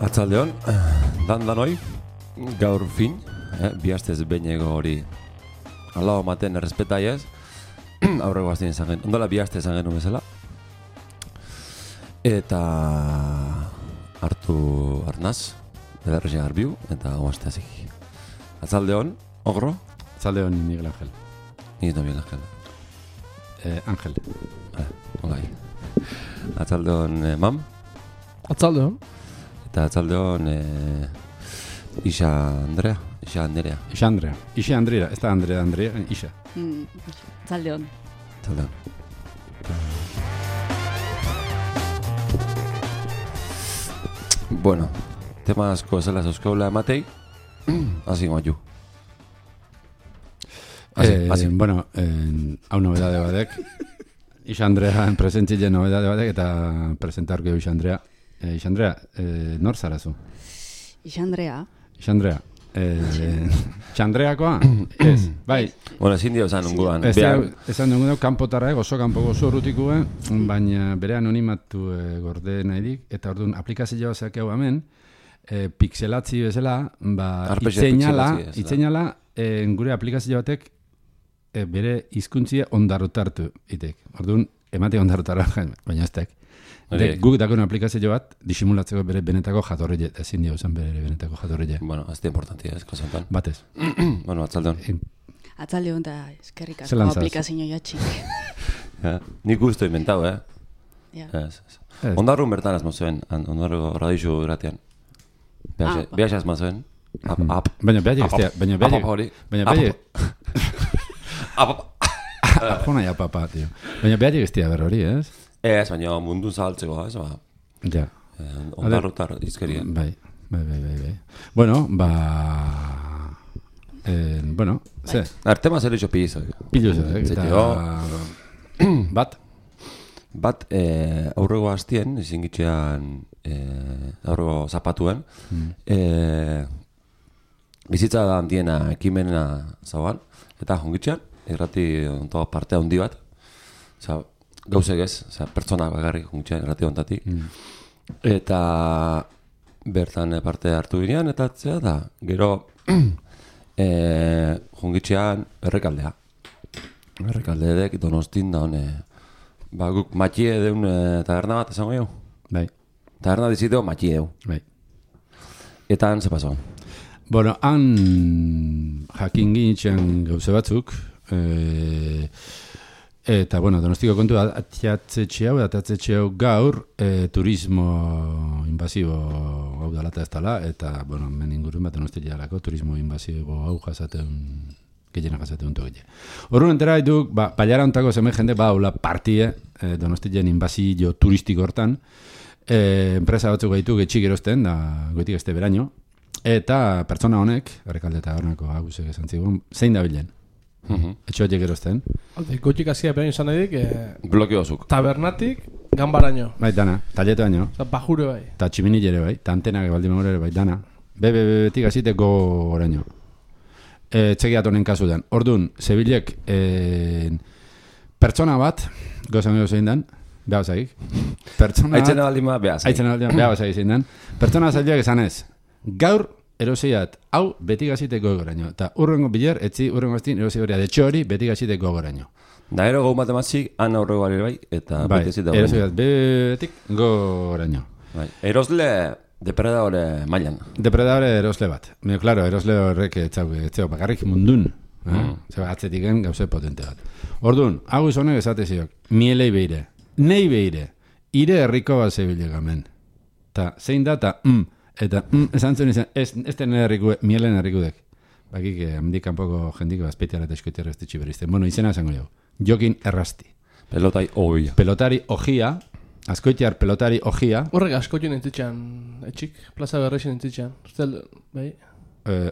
Atzaldeon, danoi, gaur fin, bi astez behineko hori alao maten errespetai ez, aurreko astien izan genuen, ondola bi aste izan genuen bezala. Eta hartu arnaz, edarrexen garbiu, eta oazte hazik. Atzaldeon, ogro? Atzaldeon, Miguel Ángel. Ni no Miguel Ángel. Ángel. Olai. Atzaldeon, mam? Atzaldeon. Eta atzaldeon, Isa Andrea. Ixe Andrea, ez da Andrea, Ixa. Atzaldeon. Atzaldeon. Bueno, tema asko zela zeuskaula ematei, hasi goaiu. Bueno, hau nobedade badek, Ixa Andrea presentzile nobedade badek, eta presentarko Ixa Andrea. Ixa Andrea, nor zarazu? Ixa Andrea. Txandreakoa? Ez, bai. Bueno, ezin dio esan nunguan. Esan nunguan, kanpotarra oso kanpoko oso urrutikue, baina bere anonimatu gorde nahirik, eta orduan aplikazioa zeak hau hemen, pixelatzi bezala, itzeinala, gure aplikazio batek bere hizkuntzia ondarrotartu itek. Orduan, emate ondarrotarra, baina ez tek. Guk dakon aplikazio bat, disimulatzeko bere benetako jatorreie, ezin dio zen bere benetako jatorreie. Bueno, ez da importantia, ez kosantan. Batez. Bueno, atzaldeon. Atzaldeon da eskerrik asko aplikazio jatxik. Nik usto inventau, Ondarrun bertan azmo zuen, ondarruko radixu gratean. Behax azmo zuen. Baina behaiek ez tia berro hori, ez? Ez, baina mundun zabaltzeko, ez, ba. Ja. Ondarrotar izkerien. Bai. Bueno, ze? Artema zer itxo pilizak. Bat, aurrego hastien, izin gitxean, aurrego zapatuen, bizitza da handiena ekimena zauan, eta jongitxean, irrati ontoa parte handi bat, gauzek ez, pertsona bagarrik jungitxean errati ontatik. Eta bertan parte hartu ginean, eta atzea da, gero jungitxean errekaldea. Errekaldeedek Donostin da hone, guk matxie deun taberna bat esango jau? Bai. Taberna diziteo matxie deu. Bai. Eta han ze paso? Bueno, han jakin ginitzen gauze batzuk, eta, bueno, Donostiko kontu atatzetxe hau gaur turismo invasibo hau dalata ez dala, eta, bueno, men ingurun bat Donosti jalako turismo invasibo hau gehiena jasaten untu gehiena. Horren entera haiduk, baiara ontako zemen jende, hola partie Donostien invasio turistiko hortan, enpresa batzuk gaitu getxik erosten, da goitik este beraino, eta pertsona honek, errekalde eta hornako agusek esan zigun, zein da bilen? Etxo horiek erosten. Goitik hasia beraino izan edik, blokeozuk. Tabernatik, gambaraino. Bai, dana, taleto baino. Bajure bai. Eta tximinilere bai, eta antenak baldimagore bai, dana. Betik azite goraino. Txekiat honen kasudan. Orduan, zebilek pertsona bat, gozan zein dan, beha basagik. Aitzena baldima beha basagik zein dan. Pertsona zailak esan ez. Gaur, eroseiat, hau betik aziteko goraino. Eta urrengo biler, urrengo aztin, erosei horia detxo hori betik aziteko goraino. Da ero gau matemazik, han aurrego bali bai, eta betik aziteko goraino. Eroseiat, betik goraino. Erosle, depredadore mailan. Depredadore erosle bat. Claro, erosle horrek etzeu bakarrik mundun. Zeba, atzetiken gauze potente bat. Orduan, hau izonek esateziok, mielei behire, nei behire, ire herriko bat zebile gamen. Ta, zein da, eta esan zuen izan, ez den mielen herrikudek. Bakik, handik kanpoko jendiko azpeitiara eta eskoiti errastitxi berizten. Bueno, izena esango jau. Jokin Errasti. Pelotari ojia. Azkoitiar pelotari ojia. Horrek askoitien entzitxan, etxik, plaza berrexen entzitxan. Zel, bai?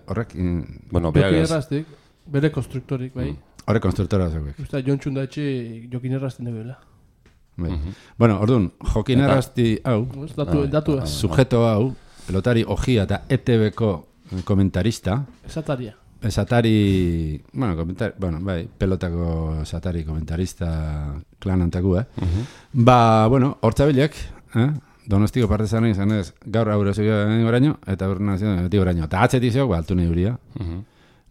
Horrek... Jokin Errastik, bere konstruktorik, bai? Horrek konstruktora zeuek. Usta, jontxun da etxik Jokin Errastin debela. Bueno, orduan, Jokin Errasti hau, datu sujeto hau, pelotari ojia eta ETV-ko komentarista. Esatari, pelotako esatari komentarista klan antaku, hortzabilek, Donostiko partezaren izan ez, gaur aurre zuen oraino, eta aurre zion beti oraino. Eta atzetik zeok, altu nahi huria.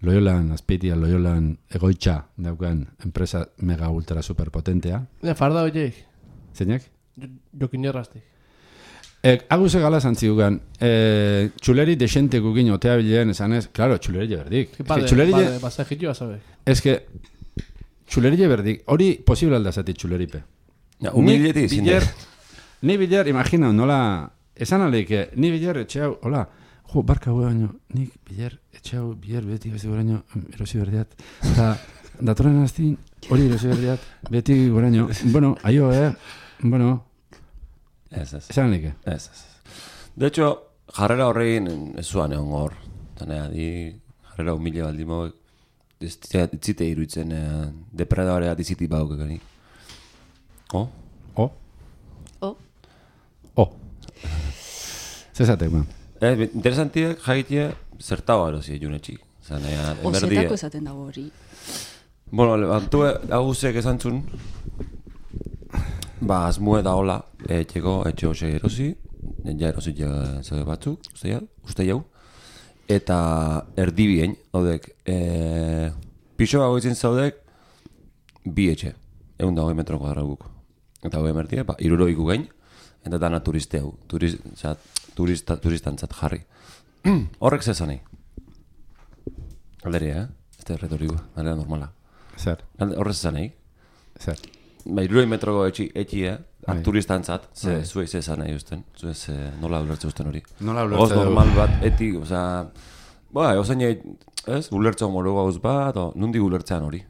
Loiolan, Azpeitia, Loiolan egoitza daukan enpresa mega ultra superpotentea. Farda horiek. Zeinak? Jokin erraztik. Aguse gala zantziugan, txuleri desente gukin otea bilean esan ez, claro, txuleri berdik. Basajitioa zabek. Ez que, txuleri berdik, hori posible aldazati txuleripe. Humileti izin da. Ni biler, imagina, nola, esan aleik, ni biler etxeau, hola, jo, barka hua baino, nik biler etxeau, biler beti beti goraino, erosi berdiat. Eta, datoren aztin, hori erosi berdiat, beti goraino. Bueno, aio, bueno. Ez. Esan aleik. Ez. De hecho, jarrera horrein ez zuan egon hor. Tanea, jarrera humile baldi moek, itzite iruditzen depredadorea diziti bauk egani. Zezatek, man. Interesantiek jagitea zertau erosi junetxik. Ozetako esaten dago hori. Bueno, levantu agusek esan zun, azmue da hola, etxe hose erosi, ja erosi zaude batzuk, uste jau, eta erdibien, haudek, pixo bago izin zaudek, bi etxe, 120 metro kuadraguk. Eta hau emertia, iruroiku gain, eta dana turisteu, turistantzat jarri. Horrek zezanei. Alderia, ez da retoriko, aldera normala. Zer? Horrek zezanei. Zer? 2 metroko etxia, turistantzat, zuek zezanei usten, zuek nola ulertze usten hori. Nola ulertze dugu. Normal bat, etik, ozain ez, ulertze moro gauz bat, nundi ulertzean hori.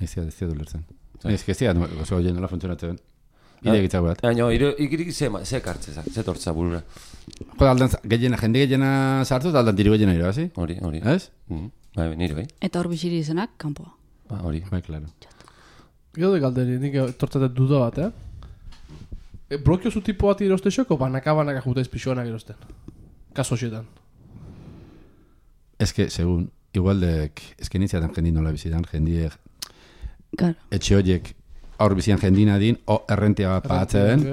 Ez dira ulertzen. Ez que ez dira, oso hori nola funtzionatzen. Iregitza bat. Ikirik ze kartzeza, ze tortza burura. Jende gehiena sartu eta aldan diru gehiena iro, hasi? Hori. Ez? Bai, nire bai. Eta hor biziri izenak, kanpoa. Hori. Bai, klaro. Gero de galderi, nik tortzatet duda bat, Blokio zu tipo bat iroste xoko, banaka jutez pixoanak irosten. Kaso xetan. Ez que, segun, igualdek, ez que nintziatan jendi nola bizitan, jendiek, etxe horiek, aur bizian jendina din, errentia bat pahatzen,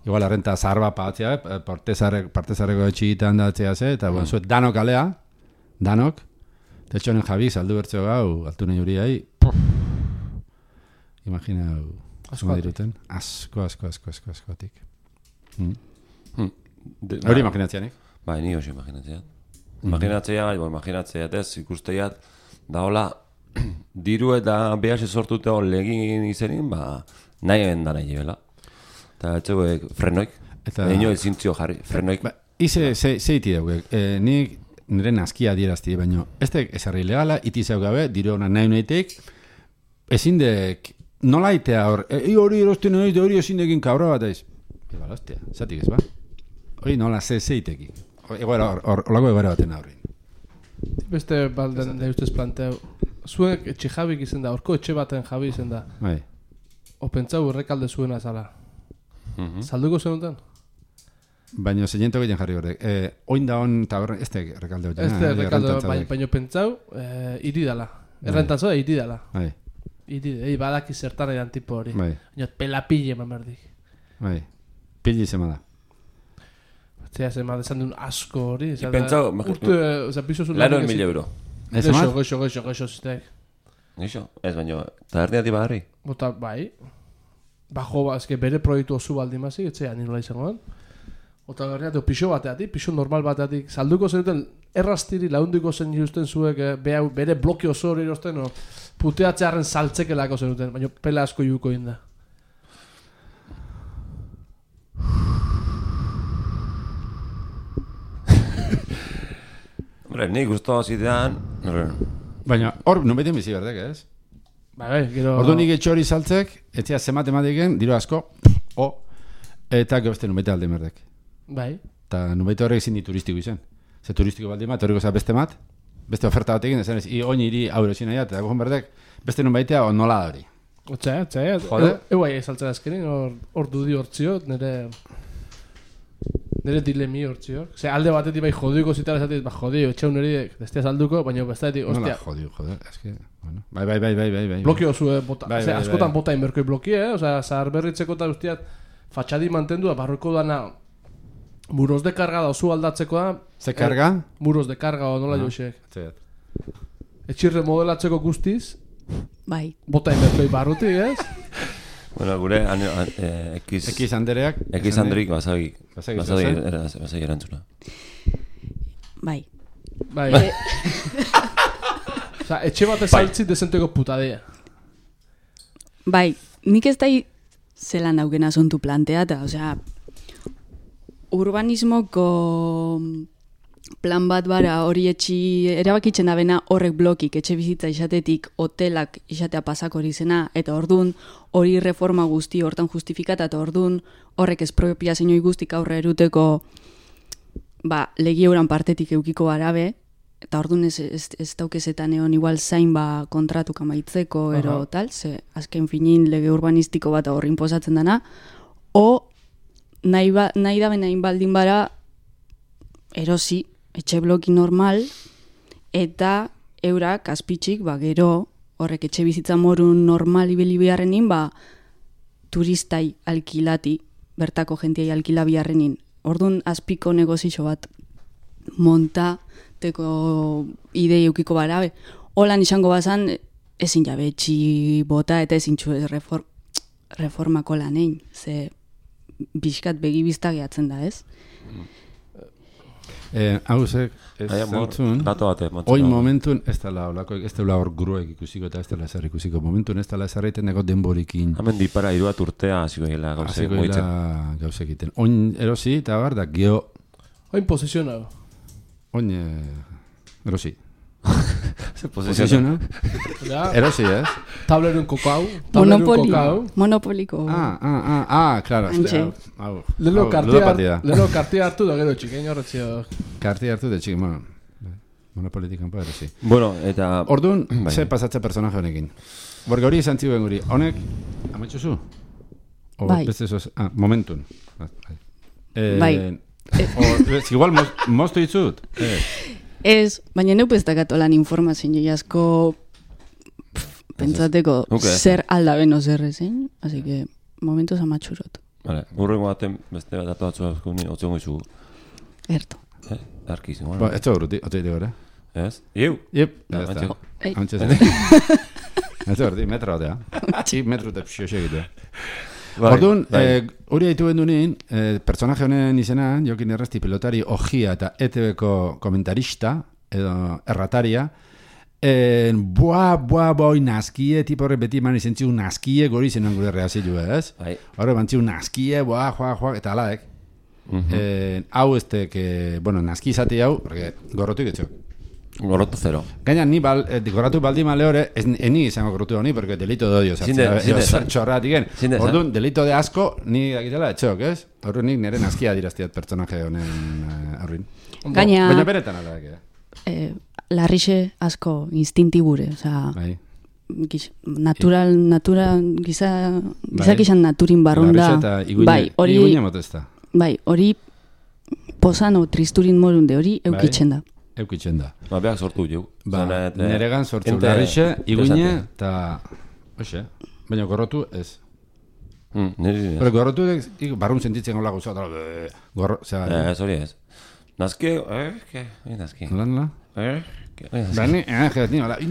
igual errenta zahar bat pahatzea, partezarreko etxigitan datzea ze, eta zuet danok alea, danok, tetxonen jabi, saldu bertzeo gau, altu nahi huriai, imagina, asko diruten, askotik. Hori imaginatzeanik? Bai, ni hoxe imaginatzeat. Imaginatzeat ez, ikusteiat, da hola, diru eta behase sortute hor legin izenin, nahi egin da nahi ebela. Eta etxegoek frenoik, ino ezintzio jarri, frenoik. Ize, zeiti dauk, nik nire naskia dierazti, baina ez tek esarri legala, iti zeu gabe, diru hona nahi nahitek, ezin dek, nola itea hor, hori erosten nahi, hori ezin dekin kabra bat aiz. Eba, hostia, zatik ez ba? Hori nola zeiteki. Olako egoera baten horrein. Beste balden da ustez planteu, zuek etxe jabik izen da, orko etxe baten jabi izen da. Bai. Opentzau errekalde zuena zala. Salduko zenuten? Baina zeñento gehien jarri horrek. Oin da hon taberna, ez da errekalde hori. Ez da errekalde, baina pentsau, iri dala. Errentantzo da iri dala. Bai. Iri, badaki zertan edan tipo hori. Bai. Baina pelapille mamerdik. Bai. Pilli zema da. Zea zema desan duen asko hori. Pentsau, laro en 1.000 euro. Geixo zitek. Geixo? Ez baino, tabernia di bagarri? Bota, bai. Bajo, ezke bere proiektu oso baldi mazik, etzea ninola izangoan. Ota berriatu, pixo bateatik, pixo normal bateatik. Salduko zenuten, errastiri laundiko zen justen zuek, bere bloke oso hori erosten, puteatzearen saltzekelako zenuten, baina pela asko juko inda. Ni guztua zidean... Baina, hor, nubeten bizi berdek, ez? Bai, gero... Ordu nik etxori saltzek, etzea zemat emateken, diro asko, eta gero beste nubete alde merdek. Bai. Eta nubete horrek zindi turistiko izan. Ze turistiko balde mat, horreko beste mat, beste oferta bat egin, esan ez, oin iri aurre zin nahiat, eta gogon berdek, beste nubaitea o nola hori. Otzea, euai ezaltzen azkenin, hor dudi hortzio, nire dilemi hortzio. Ze alde batetik bai jodiko zitara esatik, jodio, etxeun nire destea salduko, baina bestetik, ostia. Nola jodio, eske, bueno. Bai. Blokio zue, askotan bota inberkoi blokie, zahar berritzeko eta ustiat, fatxadi mantendu da, barruko dana muros de karga da oso aldatzekoa. Ze karga? Muros de karga o nola joxek. Etxirre modelatzeko guztiz, Bai. bota inbertoi barrutik, ez? Bueno, gure X Andereak. X Andrik basagi Basagi erantzuna. Bai. Bai. Osa, etxe bat ezaltzi desenteko putadea. Bai, nik ez da zelan daukena zontu planteata, osea, urbanismoko plan bat bara hori erabakitzen da bena horrek blokik etxe bizitza izatetik hotelak izatea pasako hori zena, eta ordun hori reforma guzti hortan justifikata, eta ordun horrek espropiazioi guztik aurre eruteko legi euran partetik eukiko barabe, eta ordun ez daukezetan egon igual zain kontratuk amaitzeko ero tal, ze azken finin lege urbanistiko bat horri inposatzen dana, o nahi da benain baldin bara erosi etxe bloki normal, eta eurak azpitxik gero horrek etxe bizitza morun normal ibili biharrenin turistai alkilati, bertako jentiai alkila biharrenin. Orduan azpiko negozio bat montateko idei eukiko barabe. Holan izango bazan ezin jabe etxi bota eta ezin txu reformako lanein, ze bizkat begibizta gehatzen da, ez? Hauzek, ez zentzun, oin momentun ez dela hor gruek ikusiko eta ez dela zer ikusiko. Momentun ez dela zerreiten nego denborikin. Hemen dipara 3 urtea hasiko dela gauzek moitzen. Gauzek iten. Oin erosi eta da geho... Oin posizionau. Oin erosi. Posizionau? Erosi, ez? Tablerun kokau. Monopoliko. Claro. Lelo kartia hartu da gero txikein horretzio. Kartia hartu da txikein, bueno. Monopolitikan pa, erosi. Bueno, eta... Orduan, ze pasatze personaje honekin. Borga hori izan ziuen guri. Honek, ametxuzu? Bai. Momentun. Bai. Igual moztu ditzut. Ez, baina neup ez dakatolan informazio asko pentsateko zer aldaben ozer ezein, así que momentuz amatxurot. Vale, urrengo baten beste datu batzu otzen goizu. Erto. Arkiz, igual. Ez da urruti, oteite gara. Ez? Iu? Iep. Antxe zen. Ez da urruti, metro batea. Metro eta pxioxe egitea. Orduan, hori haitu bendunin, personaje honen izena, Jokin Errasti pilotari ojia eta ETV-ko komentarista, edo errataria, boi nazkie, tipo horre beti eman izan txiu nazkie, gori zenan gure reazilu, ez? Horre bantziu nazkie, joa, eta alaek. Hau estek, nazki izate hau, gorrotu iketxok. Gorrotu zero. Gaina, ni gorratu baldi male hori, ni izango gorrotu honi, porque delito de odio. Txorratik gen. Orduan, delito de asko, ni dakitela etxok, ez? Orduan, nik nire nazkia diraztiat pertsonaje honen aurrin. Gaina... Baina beretan alak, larrixe asko instintibure, oza... Natural, gizak izan naturin barrunda... Larrixe eta iguina motezta. Bai, hori posano tristurin morunde hori eukitzen da. Eukitzen da. Behak sortu jau. Neregan sortu larrixe, iguine, eta... Oxe, baina gorrotu ez. Pero gorrotu barrun sentitzen gola guzat. Ez hori ez. Nazki, nazki. Nola? Bani,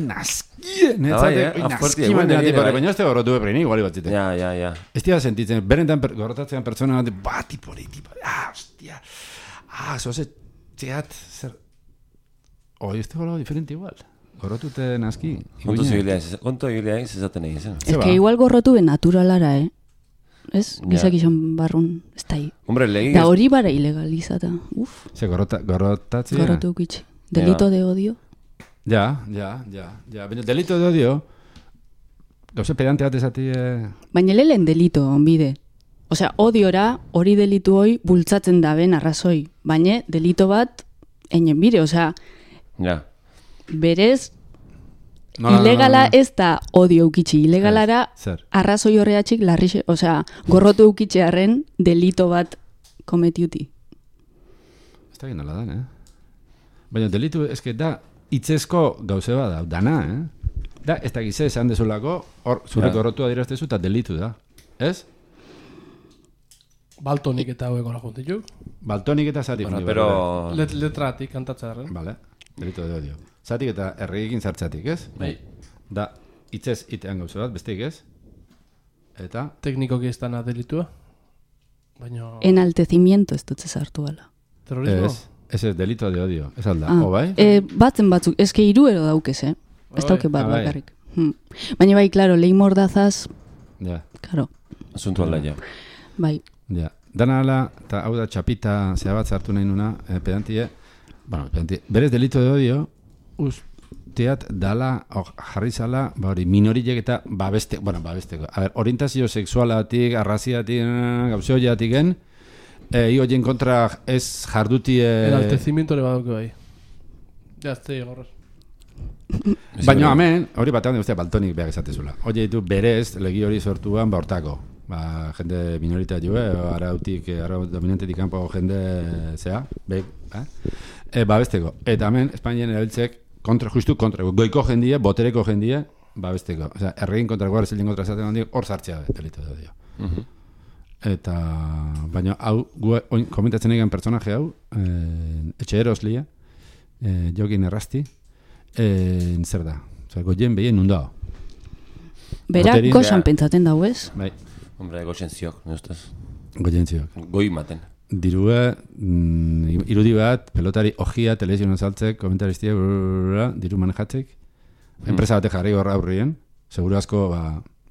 nazki! Nazki baina ez te gorrotu epreini, iguali batzite. Ja. Ez tira sentitzen, berentan gorrotatzean pertsona bat, tipori, hostia. Zoze, txeat, zer... Hoi, ez tegolo diferente igual. Gorrotute nazki. Konto egilean zezaten egin zen. Ez que igual gorrotu ben naturalara, Ez? Gizak izan barrun, ez da hi. Da hori bara ilegalizata. Ze gorrotatzea? Gorrotu ukitxe. Delito de odio. Ja. Baina delito de odio, gauze pedante bat ezati... Baina lehen delito, onbide. Osea, odiora hori delitu hoi bultzatzen daben arrazoi. Baina delito bat, einen bire, osea... Ja. Berez, ilegala ez da odio eukitxi. Ilegalara arrazoi horreatxik larrixe, osea, gorrotu eukitxearen delito bat kometiuti. Ez da ginola dan, Baina delitu, eske da, itzezko gauze bada, dana, Da, ez da gize, esan dezulako, zure gorrotua diraztezu eta delitu da, ez? Ez? Bai, hori, itzezko gauze bada, dana, Da, ez da gize, esan dezulako, zure gorrotua diraztezu eta delitu da, ez? Ez? Baltonik eta hauek hola juntituk. Baltonik eta zatik. Bueno, pero... Letratik kantatzearen. Vale, delito de odio. Zatik eta erregekin zartzatik, ez? Bai. Da, hitzez itean gauza bat, besteik ez? Eta? Teknikoki ez dana delitua. Baina... Enaltecimiento ez dut zezartu ala. Terrorismo? Ez delito de odio. Ez alda, bai? Batzen batzuk, eske hiruero daukez, Ez dauke bat bakarrik. Baina bai, klaro, lehi mordazaz... Ja. Claro. Asuntu alda, ja. Bai. Ja. Dana ala, eta hau da txapita zea bat zartu nahi nuna, pedantie, berez delito de odio, usteat dala, jarri zala, minorilek eta babesteko. A ver, orientazio sexualatik, arraziatik, gauzeoiatik hoien kontra ez jarduti... Enaltecimiento ere baduke bai. Jazte, gorros. Baina hemen, hori batean de baltonik behar esatezula. Oie ditu berez, legi hori sortuan hortako. Jende minorita joe, ara dominantetik kanpo jende zea, babesteko. Eta hemen, Espainian erabiltzek, justu kontra, goiko jendie, botereko jendie, babesteko. Osea, erregin kontra guarra zelien kontra zaten handik, hor sartzea delito da dio. Eta, baina, hau, komentatzen egin personaje hau, etxe eroslia, jokin errasti, zer da? Osea, goien behien nundao. Berak goxan pentsaten dau ez? Bai. Hombre, goxen ziok, ne ustez? Goien ziok. Goi maten. Dirua, irudi bat, pelotari ojia, televizioan saltzek, komentaristia, diru manejatzek. Enpresa batek jarri horra aurrien, seguru asko,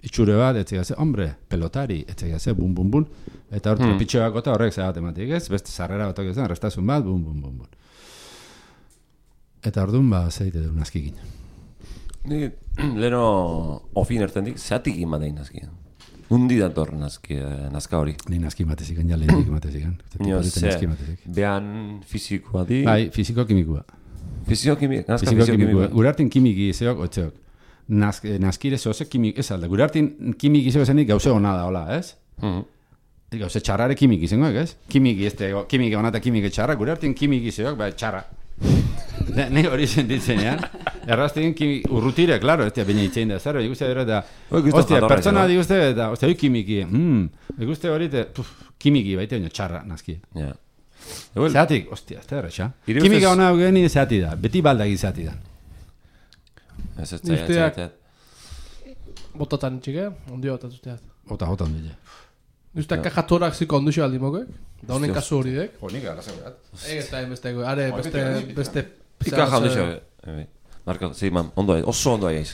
itxure bat, etxegaz, hombre, pelotari, etxegaz, bum, bum, bum. Eta hor, trepitxo bakota horrek zehat ematik, ez? Beste sarrera batok ez, restazun bat, bum, bum, bum, bum. Eta orduan, zeite dut nazkikin. Ni, leno, ofin ertendik, zeatik imatein nazkikin. Undi dator nazka hori. Ni nazki mateziken, ja lehenik mateziken. Nio, ze, behan fizikoa di... Bai, fiziko-kimikua. Fiziko-kimikua. Gure hartin kimiki zeok, otzeok. Nazkire zehose kimik, ez alda. Gure hartin kimiki zeo zenik gauze hona da, hola, ez? Gauze txarrare kimiki zengoek, ez? Kimiki hona eta kimiki txarra. Gure hartin kimiki zeok, txarra. Ne hori sentitzen, ja? Errazten urrutire, klaro, ez baina itxein da, zaro, ikuste dira eta... Ostia, pertsona diguzte eta, ostia, hoi kimiki, ikuste hori eta, kimiki, baita baina txarra, nazki. Zeatik, ostia, ez da erretxa. Kimika hona geni zeati da, beti baldagi zeati da. Ez ez txaiat. Botatan txike, ondio bat azuteat. Ota ondile. Usteak kajatorak ziko onduzio aldimoke, da honen kasu hori dek. Honik gara zegoet. Ez da, beste... Ika jaunduzio, Marka, sí, man, oso ondo aiz.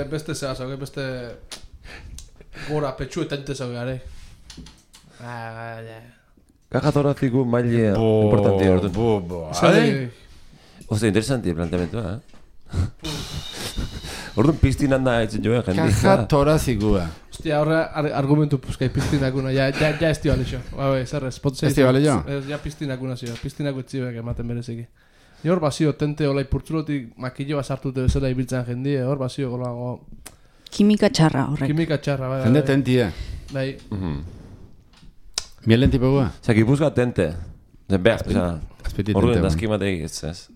Beste zehaz, beste... Gora, petxu eta ente zauge, are. Kajatoraziku maile importanti orduan. Oste, interesanti planteamentua, Orduan piztinan da etzen joan jendia. Kajatorazikua. Hostia, horre argumentu puzkai piztinakuna, ja ez dio alixo. Zerrez, potzea. Ez dio alixo? Ja piztinakuna zio, piztinaku etxibek ematen bereziki. Ni hor bazio tente olai purtzulotik makillo bat sartute bezala ibiltzen jendie, hor bazio golago... Kimika txarra horrek. Kimika txarra, bai. Jende tentie. Bai. Mielen tipo gua? Osa, gipuzka tente. Orduan dazkimatei ez. Ez.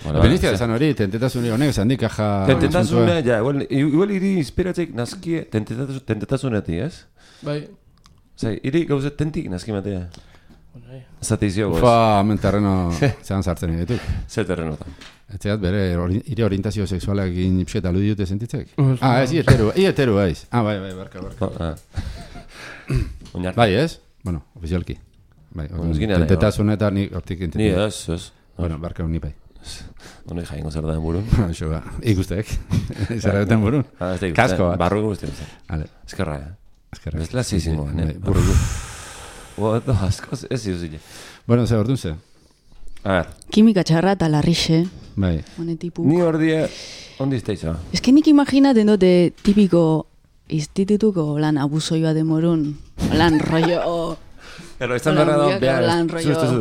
Vale. Benizia esan hori, tentetasune honek esan dik aja... Tentetasune, ja, igual iri inspiratzeik nazkie tentetasunetik, ez? Bai. Osa, iri gauze tentik nazkimatea. Zate izio goz. Ufa, hemen terreno zehan sartzen egituk. Zer terreno da? Etxeat bere, ire orientazio seksualak egin ipsket alu diute sentitzek? Ez, ieteru, ez. Bai, barka. Bai, ez? Bueno, ofizialki. Bai, tentetasunetan nik hortik entetik. Ni ez. Bueno, barka honi bai. Honi jaingo zer da burun. Això ba, ikustek. Zer da burun. Kasko bat. Barru guztien. Eskerra, Ez la zizingo, burru. Asko ez ziuzile. Bueno, ze ordun ze? A ver. Kimika txarra eta larrixe. Bai. Ni ordie, ondi izteiza? Ez que nik imaginaten dute tipiko institutuko lan abusoioa demorun. Lan rollo... Pero izan berra da, behar,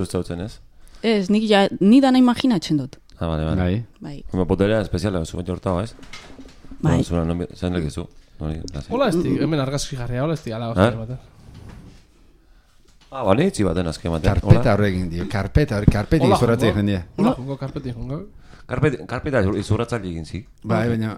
zuzten, ez? Ez, ni dana imaginatzen dut. Vale. Bai. Como potelea espeziala, zuen jortao, ez? Bai. Zain lekizu. Hola esti, hemen argazki jarria, hola esti, ala hostia ematen. Bale, itxi baten azke ematen. Karpeta horrekin, dio, karpeti izurratzea jendia. Hola, jungo, karpeti jungo. Karpeta izurratzea egin zi. Bai, baina,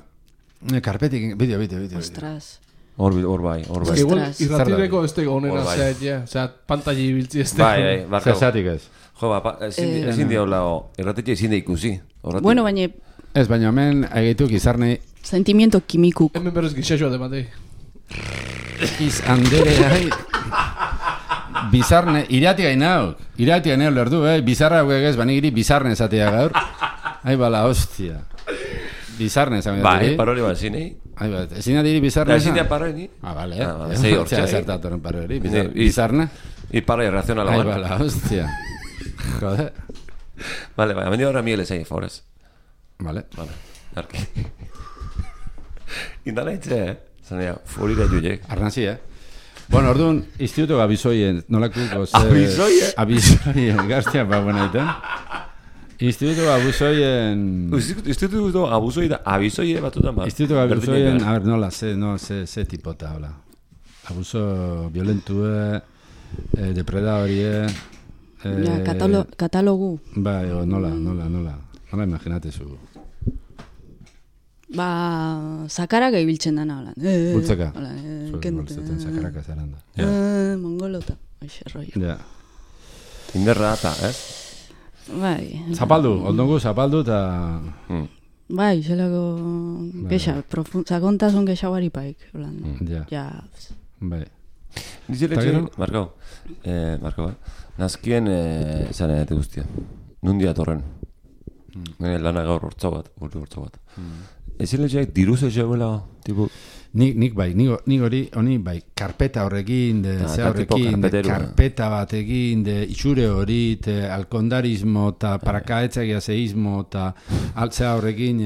karpeti, bideo. Ostras. Hor bai. Igual Ostras. irratireko ez dago onena Hor bai. zea, osea, pantalli ibiltzi ez dago. Bai, barkau. Zesatik ez. Jo, ezin diola, erratetxe ezin da ikusi. Bueno, baina Ez, baina hemen egeituk izarne sentimiento kimikuk. Hemen berrez gixaxoa dematei. Andereai bizarne, irati gainauk lerdu, bizarra ez, banigiri bizarne esatea gaur. Ai bala, hostia. Bizarne esan Bai, paroli bat zinei. Ai bat, ezin adiri bizarne Ezin esan? da paroli. Vale, Zei hortxe. zertatoren paroli, Ni- bizarne. Y paroli reacciona Ai la bala, hostia. Joder. Vale, hemen ahora Miguel ezai, favorez. Vale. Vale, arki. Indala etxe, zanea, furira juiek. Arnazi, Bueno, orduan, instituto abizoien, nolakuko ze... Abizoie? Abizoien, gaztia, ba, buena iten. Instituto abizoien... Instituto abusoi da, abizoie batutan bat. Instituto abizoien, a ver, nola, ze tipota, hola. Abuso violentue, depredadorie... Ja, katalogu. Bai, nola. Nola imaginate zu. Zakarak ibiltzen dana, hola. Bultzeka. Hola, Bultzetan sakaraka zaren da. mongolota. Oixe, rollo. Ja. Inderra eta, ez? Bai. Zapaldu, oldongu zapaldu eta... Bai, zelako gexa, sakontasun gexa baripaik. Ja. Ja, Bai. Niziletxe, Markau, nazkien zan edate guztia. Nundi atorren. Lana gaur hortzau bat. Ezin letxeak diruz ezeguela, tipo... Nik bai, nik hori bai, karpeta horrekin, ze horrekin, karpeta batekin, itxure hori, alkondarismo, eta parakaetzagia zeismo, eta altzea horrekin,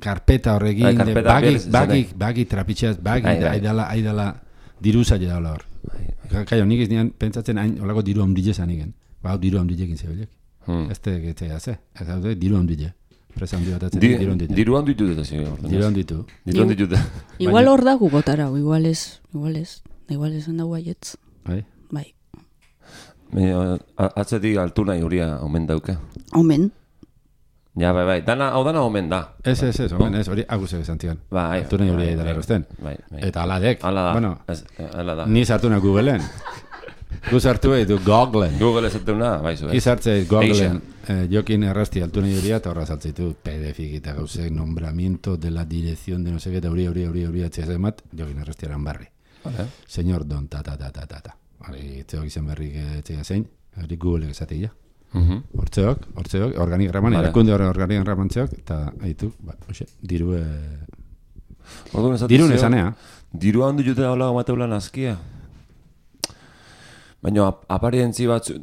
karpeta horrekin, bagi trapitxeaz, aidala diruza jedala hor. Kaio, nik ez nian pentsatzen hain olako diru hamdile zanigen. Ba, diru hamdilekin zebilek. Ez tegetzea ze, ez hau diru hamdile. Presa handi bat atzen diru handitu. Diru handitu dut ezi. Diru handitu. Diru handitu dut. Igual hor dago gotara, igual ez handago aietz. Bai. Atzetik altuna juria omen dauke. Omen. Ja, bai, hau dana omen da. Ez, omen ez, hori agusek esantian. Bai. Altuna juria edara erosten. Eta aladek. Ala da. Ni sartuna Googleen. Gu sartu ditu Googleen. Google esatuna, bai zu. Izartzeit Googleen. Jokin errasti altuna juria eta horra saltzeitu PDF eta gauzek nombramiento de la dirección de no sé qué, eta hori atziaz emat, jokin errastiaran barri. Señor Don, ta. Hori itzeok izan berrik etxea zein, hori Google esatik ja. Hortzeok, organigraman, erakunde organigraman txeok, eta haitu, diru nesanea. Diru handu jute daula Mateula nazkia. Baina aparentzi batzu,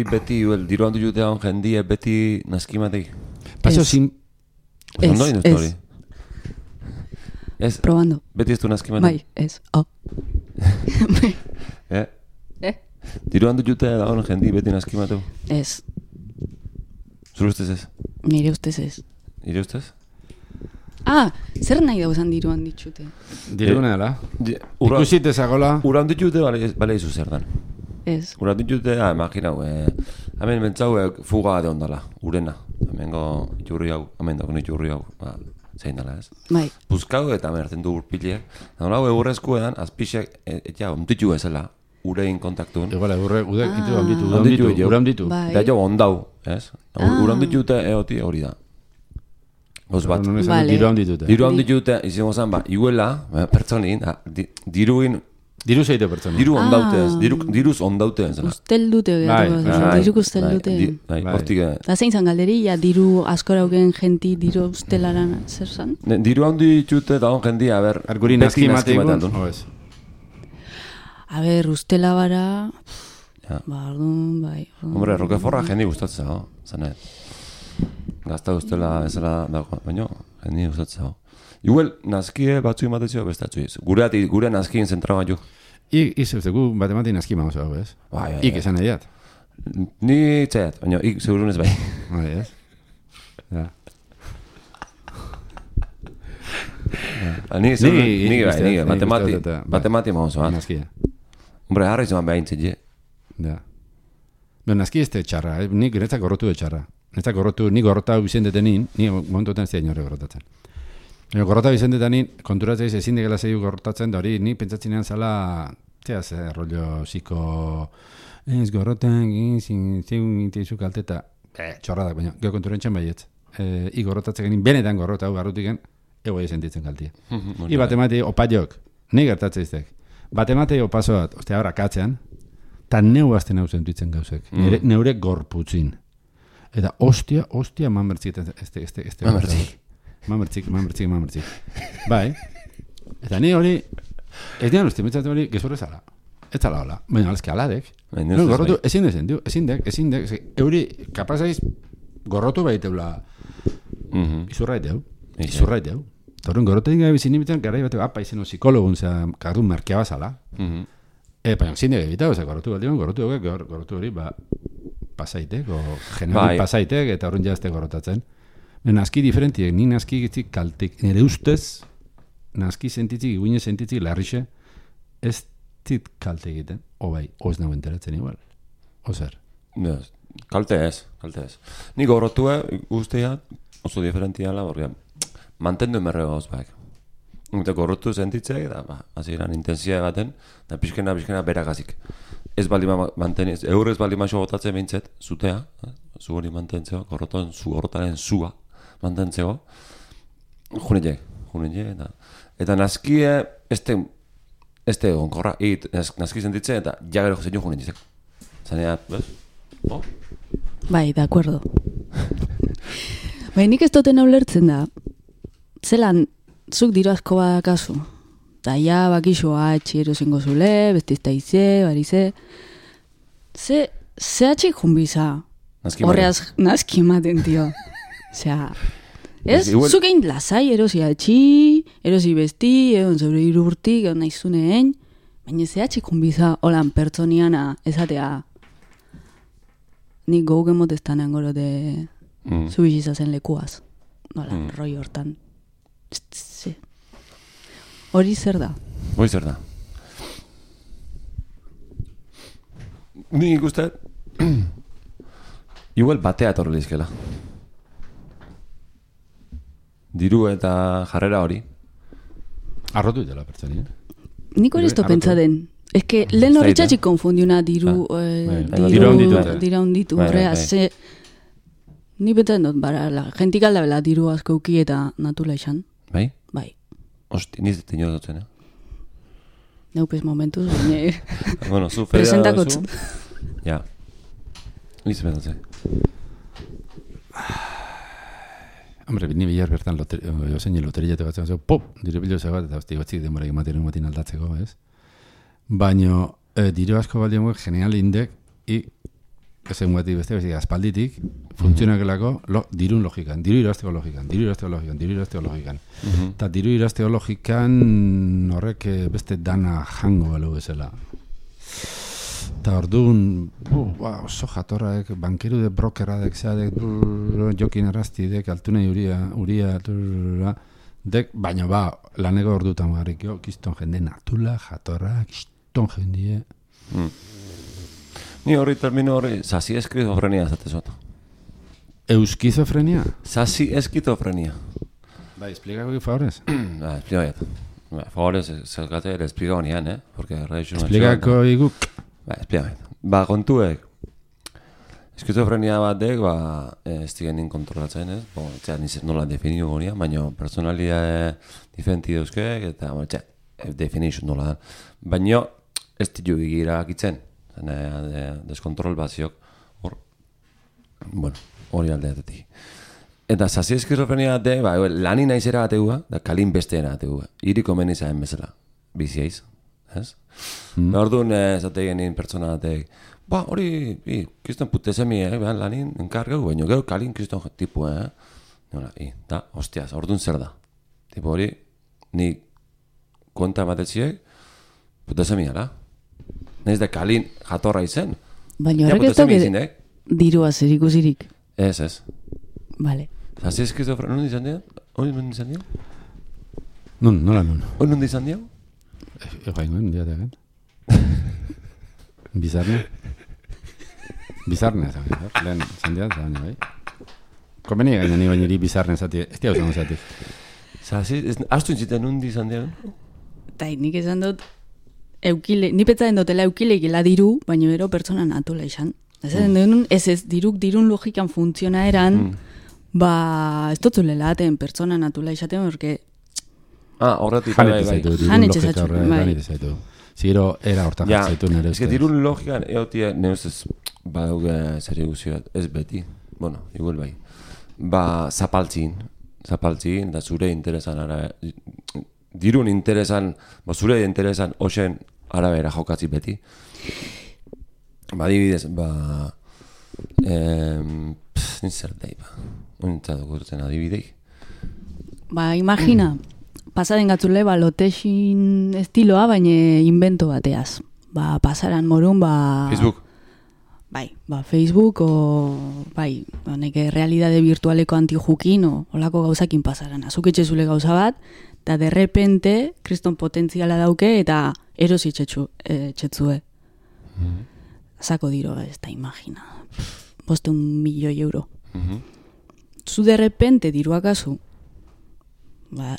beti diru handu jute daun jendie beti nazki matei. Pasio sin... Ez. Probando. Beti ez du nazki matei. Bai, ez. Diru handu jute daun jendie beti nazki mateu. Ez. Zure ustez ez? Nire ustez ez. Nire ustez? Zer nahi dauzan diruan ditxute? Diruna dela. Ikusit ezagola. Uran ditute bale izu zer dan. Ez. Uran ditute, imaginau, hemen mentzau fuga de ondala, urena. Hemengo iturri hau, hemen dago iturri hau, zein dala ez. Bai. Buzkau eta merten du urpileak. Nola eurrezko edan, azpixek, eta onditu ezela, urein kontaktun. Igual, uram ditu. Da jo ondau, ez? Uran ditute eoti hori da. Goz bat. Diru handitute. Diru handitute, izango zan, iguela, pertsonin, diruin... Diru zeite pertsona. Diru ondaute ez, diruz ondaute ez. Ustel dute diruk ustel dute. Hortik... Da zein zan galderi, diru askoraugen jenti diru ustelaran zer zan? Diru handitute da hon jendia, a ber... Arguri nazki mategun, oez. A ber, ustela bara... Bardun, bai. Hombre, Roqueforra jendi gustatzen zago, zanet. Gazta ustela ezela dago, baina jendi gustatzen zago. Igual, nazkie batzu imatetzio bestatzu ez. Gure nazkien zentra bat jo. Gu batemati nazki maoz hau, ez? Ik esan ediat. Ni txaiat, baina ik segurunez bai. Bai, ez? Ja. Ni bai, batemati maoz bat. Nazkia. Hombre, harra izan behaintzit, je. Ja. Nazki ez txarra, nik netzak gorrotu de txarra. Netzak gorrotu, nik gorrotau izan detenin, ni momentuetan ez da inore gorrotatzen. Gorrota bizendetanin, konturatzeiz ezin degela zeiu gorrotatzen, da hori, ni pentsatzenean zala, rollo ziko, ez gorrotan, zeun inteizu kalteta, txorradak, baina, gero konturentzen baietz. I gorrotatzen genin, benetan gorrota hau garrutiken, ego sentitzen kaltia. I bat emate, opaiok, nahi gertatzeiztek. Bat emate opazoat, ostia, ahora katzean, eta neu azten hau zentuitzen gauzek. Neure gorputzin. Eta ostia, mamertzik. Mamertzik. Bai. Eta ni hori, ez dian uste, mitzatzen hori, gezurre zala. Ez zala hola. Baina, alazki aladek. Gorrotu, ezin dek. Euri, kapazaiz, gorrotu baiteula. Izurraiteu. Torren gorrotetik gabe bizin nimitzen, gara bateu, izeno psikologun, zera, kardun markia bazala. Baina, zin dek ebitau, gorrotu hori, pasaitek, o general pasaitek, eta horren jazte gorrotatzen. Naski diferentiek, ni naski gitzik kaltik, nire ustez, naski sentitzik, iguine sentitzik, larrixe, ez zit kalte egiten, oz nago enteratzen igual, ozer. Kalte ez. Ni gorrotue guztia oso diferentiala, porque mantendu emerre gauz baek. Eta gorrotu sentitzek, eta hasieran intensia baten, eta pixkena beragazik. Ez bali manteniz, eurrez bali maixo gotatzen behintzet, zutea, zu hori mantentzeko, gorrotaren zua mantentzeko, junetxe, eta naskie, este onkorra, naski sentitzen, eta jagero jozen jo junetxezeko. Zanea, bez? Bai, de acuerdo. Bai, nik ez duten ulertzen da, zelan, zuk diru asko badakazu, eta ja bakixoa etxero zengo zule, bestizta ize, barize, ze atxik junbiza, horreaz naski ematen, tio. Osea, ez, zuk egin lasai, erosi atxi, erosi besti, egon zeure irurtik, egon naizuneen, baina ze atxik junbiza, holan pertsoniana, ezatea, nik gaugen motestanean goro de zubizizazen lekuaz, nola, roi hortan. Hori zer da? Ni ikuste igual batea etorri lizkela. Diru eta jarrera hori. Arrotu dela pertsoni, Nik hori esto pentsa den. Ez que lehen hori txatxik konfundiuna diru honditu. Ni beten dut, jentik aldabela diru askauki eta natula izan. Bai? Bai. Hosti, niz dut dutzen, Neupez momentuz, baina... Bueno, zu fedea presentakotz. Ja. Niz betatzen. Hombre, ni bilar bertan jozein loteria tegatzen, pop, diru bilo zegoat, eta hosti gotzik denbora ematen matin aldatzeko, ez? Baina, diru asko baldiamuek genial indek, ezen guatik beste, aspalditik, funtzionakelako dirun logikan, diru irazteko logikan. Eta diru irazteko logikan horrek beste dana jango balu bezala. Eta orduan, oso jatorraek, bankeru de brokeradek, zeadek, jokin arrastidek, altuna uria, dek, baina laneko ordutan garrikio, kiston jende natula, jatorra, kiston jendie. Ni horri termino horri, sasi eskizofrenia zatezot. Euskizofrenia? Sasi eskizofrenia. Bai, explícame, favorez. Explícame. Favorez, zergate, le explica honian, porque Explicako iguk. Explícame. Kontuek, eskizofrenia batek, ez digenin kontrolatzen, ez? Nizet nola definiu honian, baina personalia diferenti dauzkek, eta, definition nola da. Baina, ez ditu egira akitzen. Deskontrol baziok hori aldeatetik. Eta sasi eskizofrenia bate, lani naizera bategua, da kalin besteena bategua. Iriko menizaen bezala, biziaiz, ez? Orduan, zate genin pertsona batek, hori, kriston putezemi, lanin enkargau, baina gero kalin kriston tipu, da, hostiaz, orduan zer da. Tipo hori, ni konta ematetziek, putezemi ala. Naiz da kalin jatorra izen. Baina horrek ez dauke dirua zer ikusirik. Ez. Vale. Zasi eskizofrenia, non izan dira? Hori non izan dira? Nola. Hori non izan dira? Egoaingoen, diatean. Bizarne, lehen izan dira, bai. Konbeni gaina ni baineri bizarne zati, ez dira usan zati. Astu intziten nundi izan dira? Eta nik esan dut, ni petzaten dutela eukileikela diru, baina ero pertsona natula izan. Ez dirun logikan funtziona eran, ez dutzulela aten pertsona natula izaten, porque... Horretik, Janetxe zaitu. Ziro, era hortan jatzaitu nire. Ez que dirun logikan, egotia, nire ustez, badauge zer eguzio bat, ez beti, bueno, igual bai. Zapaltzin, da zure interesan dirun interesan, zure interesan osen arabera jokatzi beti. Adibidez, nintzer dahi, nintzatu gurtzen adibidei. Imagina, pasaden gatzule, lotexin estiloa, baina invento bateaz. Pasaran morun, Facebook. Facebook, neke realidade virtualeko antijukin, olako gauzakin pasaran. Azuketxe zule gauza bat, eta derrepente, kriston potentziala dauke, eta erosi txetzue. Zako diro, ez da imagina. 500.000 euro. Zu derrepente diruakazu,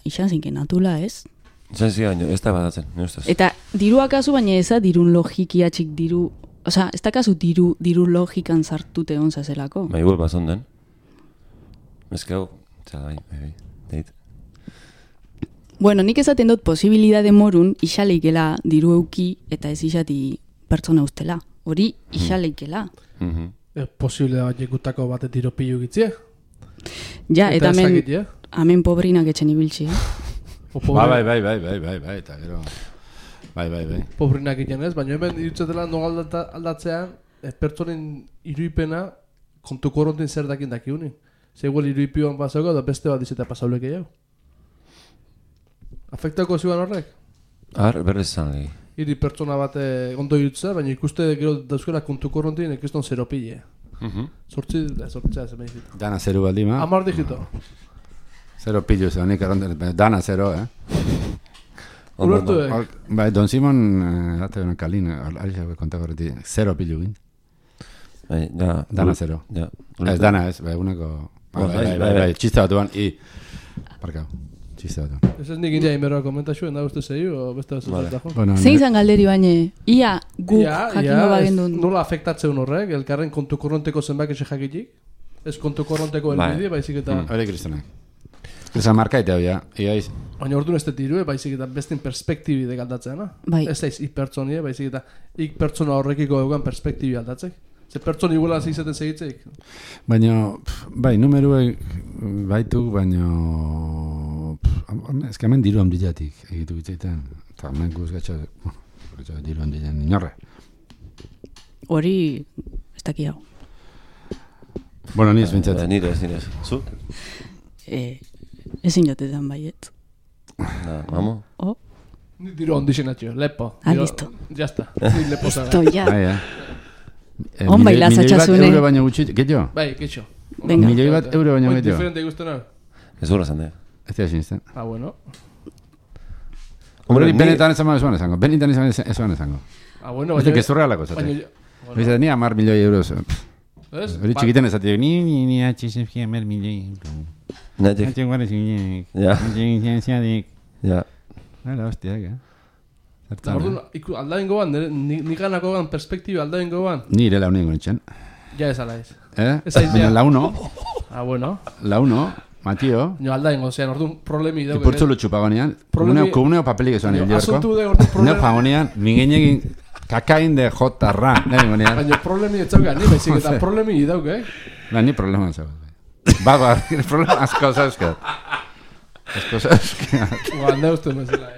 izan zinken natula, ez? Izan zinken, ez da badatzen, ne ustez. Eta diruakazu, baina eza dirun logikiatxik diru... Osa, ez dakazu diru logikan zartute onza zelako. Igual bazon den. Ez gau, deit. Bueno, nik esaten dut posibilidade morun isaleikela diru euki eta ez isati pertsona ustela. Hori isaleikela. Posible bat jekutako bat tiro pilu gitzia? Ja, eta hemen pobrinak etxen ibiltzi. Bai, eta gero... Bai. Pobrinak egiten ez, baina hemen irutzetela aldatzean pertsonen iruipena kontu korrontin zer dakin dakiunin. Zegoel iruipioan pasako da beste bat izeta pasauleke jau. Afektako ziuan horrek? Berrez zan legi. Iri pertsona bat ondo irutzea, baina ikuste gero dauzkela kontu korrontin ikiston zero pile. Sortzea zemen izita. Dana zero baldima. 10 digito. Zero pillo zeo, nik dana zero, Ulertu Bai, Don Simon, date una kalin, alisa kontako horreti, zero pillo gin. Dana zero. Ez dana ez, uneko... Bai, txiste bat duan, parkau. Txiste bat duan. Ez nik india inberroa komentaxuen, da uste zei, o beste bat zaten. Zein zan galderi baina, ia guk jakingo bagendun. Nola afektatzeun horrek, elkarren kontu korronteko zenbak eze jakitik? Ez kontu korronteko elbide, baizik eta... Hore kristonak. Esa markaita hau, iaiz. Baina orduan ez dirue, baizik eta bestin perspektibi degaldatzeana. Ez daiz pertsonie, baizik eta pertsona horrekiko eugan perspektibi aldatzek. Ze pertsoni iguela zizaten segitzeik. Baina, bai, numeruek baitu, baina... Ez que hemen diru handiatik egitu bitzaiten. Eta hemen guzgatxa diru handian inorre. Hori, ez daki hau. Bueno, ni ez bintzatzen. Nire ez. Zu? Ezin jotetan baiet. Vamos. Ni diru ondixenatxo, lepo. Listo. Ya está. Ni lepo zaga. Listo, ya. On baila zatxasune. Milioi bat euro baino gutxit, getxo? Bai, getxo. Milioi bat euro baino getxo. Diferente guztena. Ez gura zan, Ez dira sinisten. Bueno. Benetan ez zango. Benetan ez zango. Bueno, baina... Ez gezurrealako zate. Bizet, ni 10 milioi euros. Hori txikiten ez zate. Ni atxizefki 10 milioi euro. Natik. Natik guarez gineak. Ja. Ja. Hala, hostiak, Aldain goban, niganako goban perspektiba aldain goban. Ni ere launengo nintzen. Ja ez ala ez. Baina launo. Bueno. Launo, Matio. No aldain gozean, orduan problemi dauke. Ipurtzu lutxupagonean. Komuneo papelik ezoan hil jorko. Asuntu de orduan problemi. Neo fagonean, mingenegin kakain de jotarra. Baina problemi etzauka, ni baizik eta problemi dauke, Ni problema zau. Ba, problema asko zauzkat. Asko zauzkat. Anda uste mezela,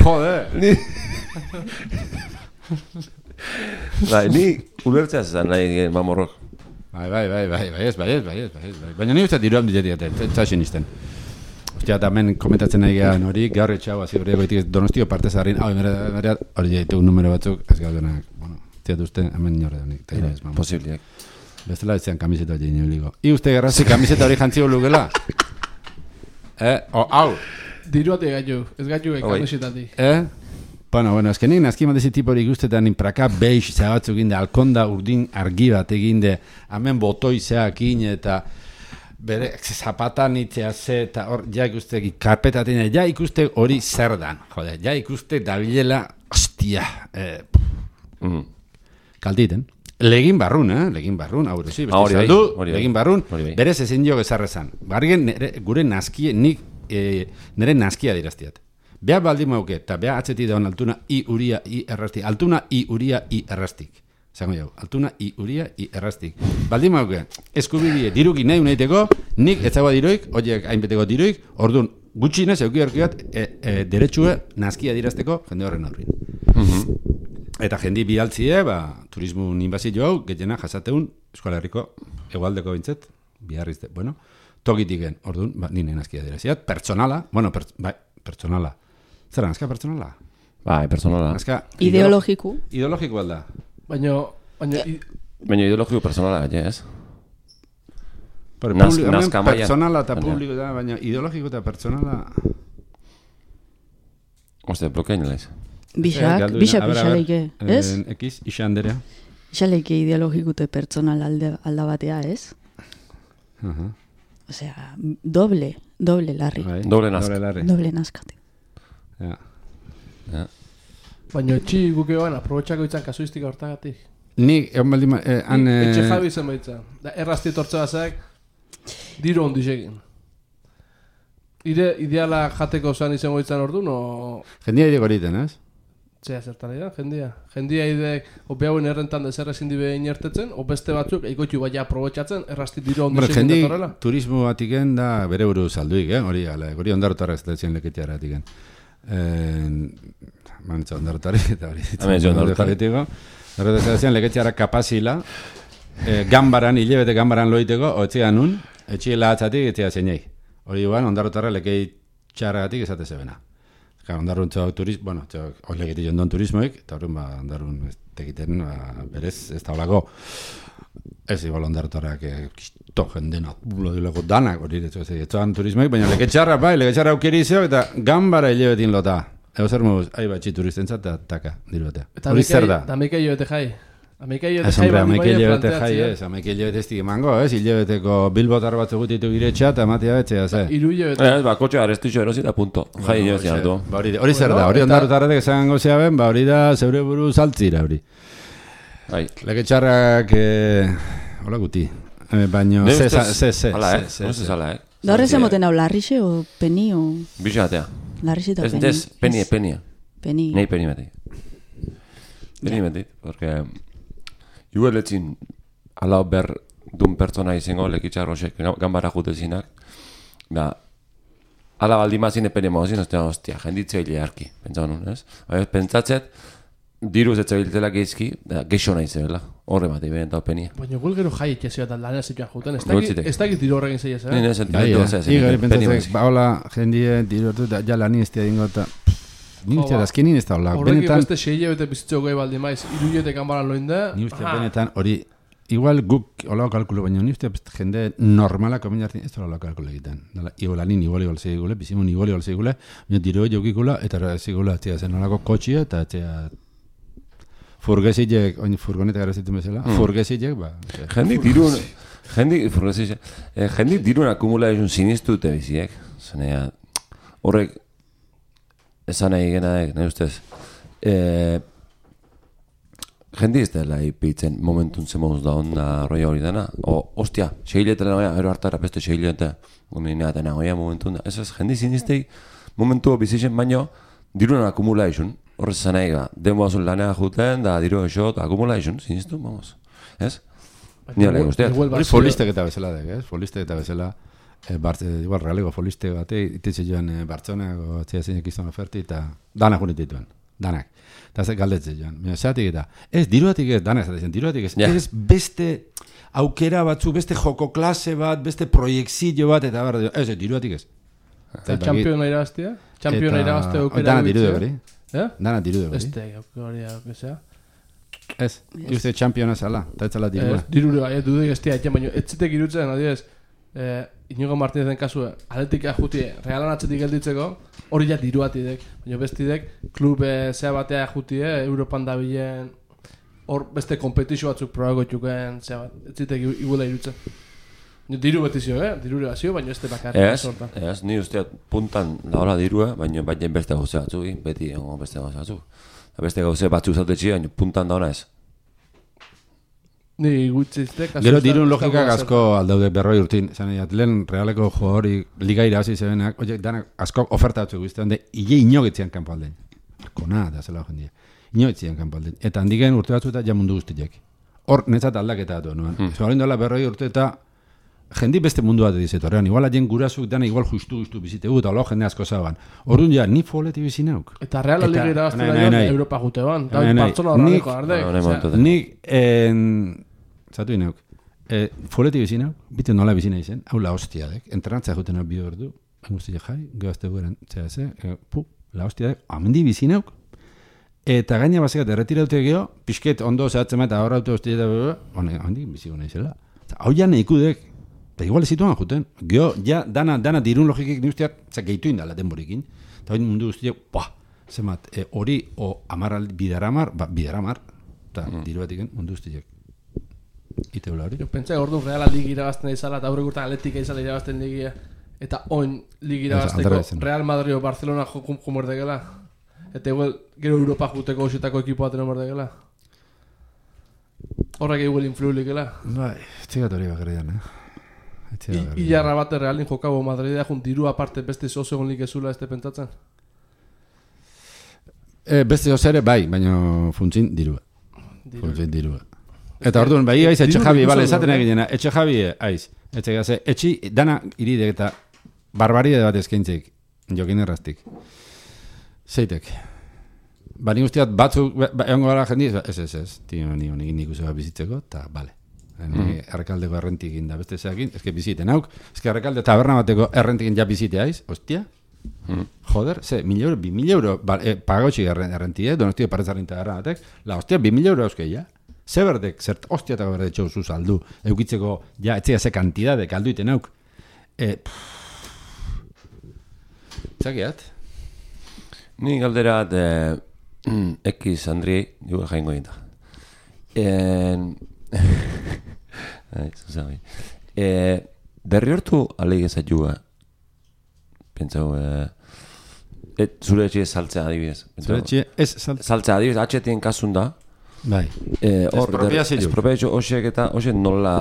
Joder. Ni ulertzea zezan nahi mamorrok. Bai, ez. Baina ni uste diruan diletik, eta sinisten. Ostia, eta hemen komentatzen nahi gehan hori, gaur etxau, hazi hori egoitik Donostio parte zarrin, hori jaitu numero batzuk, ez gaudenak, tiatu uste, hemen nore donik. Posibliak. Bestela ez zean kamiseta hori nioligo. I uste gerrazi kamiseta hori jantzio lugela? Hau! Diruate gaitu, ez gaitu kamisetatik. Bueno, ez que nik nazki mandezi tipo hori guztetan inpraka beix zabatzuk ginde, alkonda urdin argi bat eginde, hemen botoi zeakin eta bere zapatan itzea ze, eta hor, ja ikuste, karpetatina, ja ikuste hori zer dan, jode, ja ikuste dabilela, ostia, kalditen. Legin barrun, hau sí, beste saldu, legin barrun, berez ezin jo gezarrezan. Bargen gure naskie, nik nire naskia diraztiat. Beha baldin mauke, eta beha atzeti daun altuna i uria i errastik. Altuna i uria i errastik. Zango jau, altuna i uria i errastik. Baldin mauke, eskubidie diruki nahi unaiteko, nik etzagoa diroik, horiek hainbeteko diroik, orduan gutxinez euki horkiat deretsue naskia dirazteko jende horren aurrin. Eta jendi bidaltzie, turismo inbazio hau, gehiena jasateun, Euskal Herriko egualdeko bintzet, biharrizte, bueno, tokitiken, orduan, nire naskia diraziat, pertsonala, pertsonala. Zer nazka pertsonala? Bai, pertsonala. Ideologiku. Ideologiku alda. Baina ideologiku pertsonala, ez? Nazka maia. Pertsonala eta publiko da, baina ideologiko eta pertsonala... Oste, blokein lez. Bixak ixaleike, ez? Ekiz, Ixanderea. Ixaleike ideologiku eta pertsonal alda batea, ez? Osea, doble larri. Doble nazka. Doble nazkate. Ja. Baina etxi guke joan, aprobetxako itzan kasuistika hortagatik. Nik, egon baldin... Etxe jabi zen baitza. Errazti tortze bazak, diru ondisekin. Ideala jateko zan izango itzan ordu, no... Jendia ideko horiten, ez? Zea zertan dira, jendia. Jendia idek, opeauen errentan dezer ezin dibe inertetzen, o beste batzuk, eikoitu baina aprobetxatzen, errazti diru ondisekin datorrela. Jendi turismo batiken da bere buru salduik, hori ondarotarrak zelatzen leketiara batiken. Manitza ondarotarik, eta hori ondarotaritiko. Horretu zelatzen leketiara kapazila, gambaran, hilebete gambaran loiteko, otzian nun, etxiela atzatik, etxia zeinei. Hori guan, ondarotarra lekei txarragatik esate zebena. Ondarrun txau turismo, bueno, hori legetik jondon turismoik, eta horren ondarrun tekiten berez, ez da holako. Ez igual ondarrotarrak kisto jendena, bulodileko danak hori etxoan turismoik, baina leketxarra aukeri izeo, eta gambara hilebetin lota. Ego zer moz, ahi batxi turistentzat, eta taka, diru batea. Hori zer da? Eta ameika hilebete jai. Ameika hilebete ez dik emango, ez? Hilebeteko bilbotar bat egutitu giretxa, eta matia betxea, ze? Iru hilebete. Kotxe garestixo erosi da punto. Jai hilebete altu. Hori zer da, hori ondarrotarratek esan gozea ben, hori da zeure buru saltzira, hori. Leketxarrak, hola guti. Baina, ze. Da horrez emoten hau, larrixe o peni o... Bixatea. Larrixe eta peni. Ez, penia. Peni. Nei peni beti. Peni beti, porque... Igual etzin, ala ber dun pertsona izango, lekitxarrosek, gambara jutezinak, ala baldimazin epene mauzin, ostia, jenditzea harki, pentsa honun, ez? Pentsatzet, diruz etzabiltelak eizki, geixo nahi zebela, horre bat, iben eta openia. Baina gul gero jai etxezio eta lanea zituan juten, ez dakit diru horregin zeiz, eh? Nire sentimentu zea, pentsatzek, baola, jendie, diru hortu, ja lani ez dingo eta... Ni uste azkenin ez da hola. Horrek beste 6 hilabete bizitzeko gai baldi maiz, 3 hilabete kanbaran loin da. Ni uste benetan hori, igual guk hola kalkulo, baina ni uste jende normala komin jartin, ez da hola kalkulo egiten. Igual anin igual segule, bizimun igual segule, baina diro jokikula, eta segula, txea zen holako kotxia, eta txea furgesitek, oin furgoneta gara zitu bezala, furgesitek, ba. Jendik dirun akumula esun sinistu dute biziek. Zanea, horrek, esan nahi genaek, nahi ustez. Jendi ez dela ipitzen momentun zemoz da onda roia hori dena. Ostia, seiletela noia, ero hartara beste seilete. Guneinea dena goia momentun da. Ez, jendi ziniztei momentu bizitzen baino dirunan akumula esun. Horrez esan nahi, denboazun lanea juten, da diru esot, akumula esun, ziniztu, vamos. Ez? Nire lege usteat. Hori folistek eta bezala dek, ez? Folistek eta bezala. Igual realego foliste bate ititze joan Bartzelonako atzea zeinek izan oferti eta danak unitituen, danak. Eta ez galdetze joan, zeatik eta ez, diruatik ez, danak zatezen, diruatik ez, ez beste aukera batzu, beste joko klase bat, beste proiekzio bat, eta barra, ez, diruatik ez. Eta championa irabaztia? Championa irabaztea aukera danak diru degori. Danak diru degori. Beste aukera aukera. Ez, uste championa zala, eta ez zala dirua. Diru degori, dudek ez tia, baina ez zitek irutzen, adiez, Inigo Martínez den kasu, atletika jutie, realan atzetik gelditzeko, hori ja diruatidek, baina bestidek, klube zea batea jutie, Europan dabilen, hor beste kompetizio batzuk probago txuken, zea bat, ez zitek iguela irutzen. Diru beti zio, diru zio, baina ez bakarrik. Ez, ni usteat puntan daola dirua, baina beste gauze batzuk, beti beste gauze batzuk. Beste gauze batzuk zautetxi, baina puntan daona ez. Ni gutxizte, gero dirun logikak asko aldaude 40 urtin, zan egin, lehen realeko jogori liga irabazi zebenak, danak asko oferta batzuk guztian, ile inogitzian kanpo aldein. Kona, da zela jendia. Inogitzian kanpo aldein. Eta handiken urte batzu eta ja mundu guztiak. Hor, netzat aldaketa datu, nuen. Zorin dola 40 urte eta jendi beste mundu bat edizetu. Horrean, igual aien gurasuk dana igual justu bizitegu, eta jende asko zaban. Orduan ja, ni foleti bizinauk. Eta Real Liga irabazten da Europa jute ban. Bartzola horreko ardek. Nik, zatu ineuk, foleti bizinauk, bite nola bizina izen, hau la hostia dek, entrenantzea juten hau bi ordu, guztia jai, gehazte gueren, la hostia dek, amendi bizinauk, eta gaina basekat erretiraute geho, pixket ondo zehatzen eta horra auto hostia eta handik bizigo nahi zela. Hau ja nahikudek, eta igual ezituan juten, geho, ja, dana dirun logikik ni usteak, gehitu indala denborikin, eta hori mundu guztiak, zemat, hori o bidaramar, eta diru batiken mundu guztiak. Ite hula hori? Jo pentsa orduan Real Liga irabazten izala eta aurrek urtean Atletika izala irabazten ligia eta oin Liga irabazteko Real Madrid o Barcelona jomordegela eta igual gero Europa juteko ositako ekipo baten omordegela horrek igual influilikela bai, txigat hori bakarrian Ilarra bate Realin jokabo Madridea jun diru aparte beste zozegon lik ezula este pentsatzen? Beste ozere bai, baina funtzin dirua funtzin dirua. Eta orduan, bai, aiz, etxe jabi, bale, esaten egin etxe jabi, aiz, etxe gaze, etxi, dana iridek eta barbaridade bat eskaintzik, jokin erraztik. Zeitek. Nik usteat batzuk, egongo gara jendiz, ez, tio, nik uste bat bizitzeko, eta, bale. Errekaldeko errentik da beste zeakin, ezke biziten hauk, ezke errekalde taberna bateko errentik ja bizite aiz, ostia? Joder, ze, 1.000 euro, 2.000 euro, pagautxik errentie, donostia paretzarrin taberna batek, la hostia, 2.000 euro euskei, ja? Zeberdek, zert hostiatako berde txauzu saldu, eukitzeko, ja, etzea ze kantidadek alduiten auk. Txakiat? Ni galderat, X Andri, jugu jaingo ginta. Derri hortu alegezat juga, pentsau, zure etxe saltzea adibidez. Zure etxe ez saltzea adibidez, atxetien kasun da, bai. Espropiazio hosiek eta hosiek nola?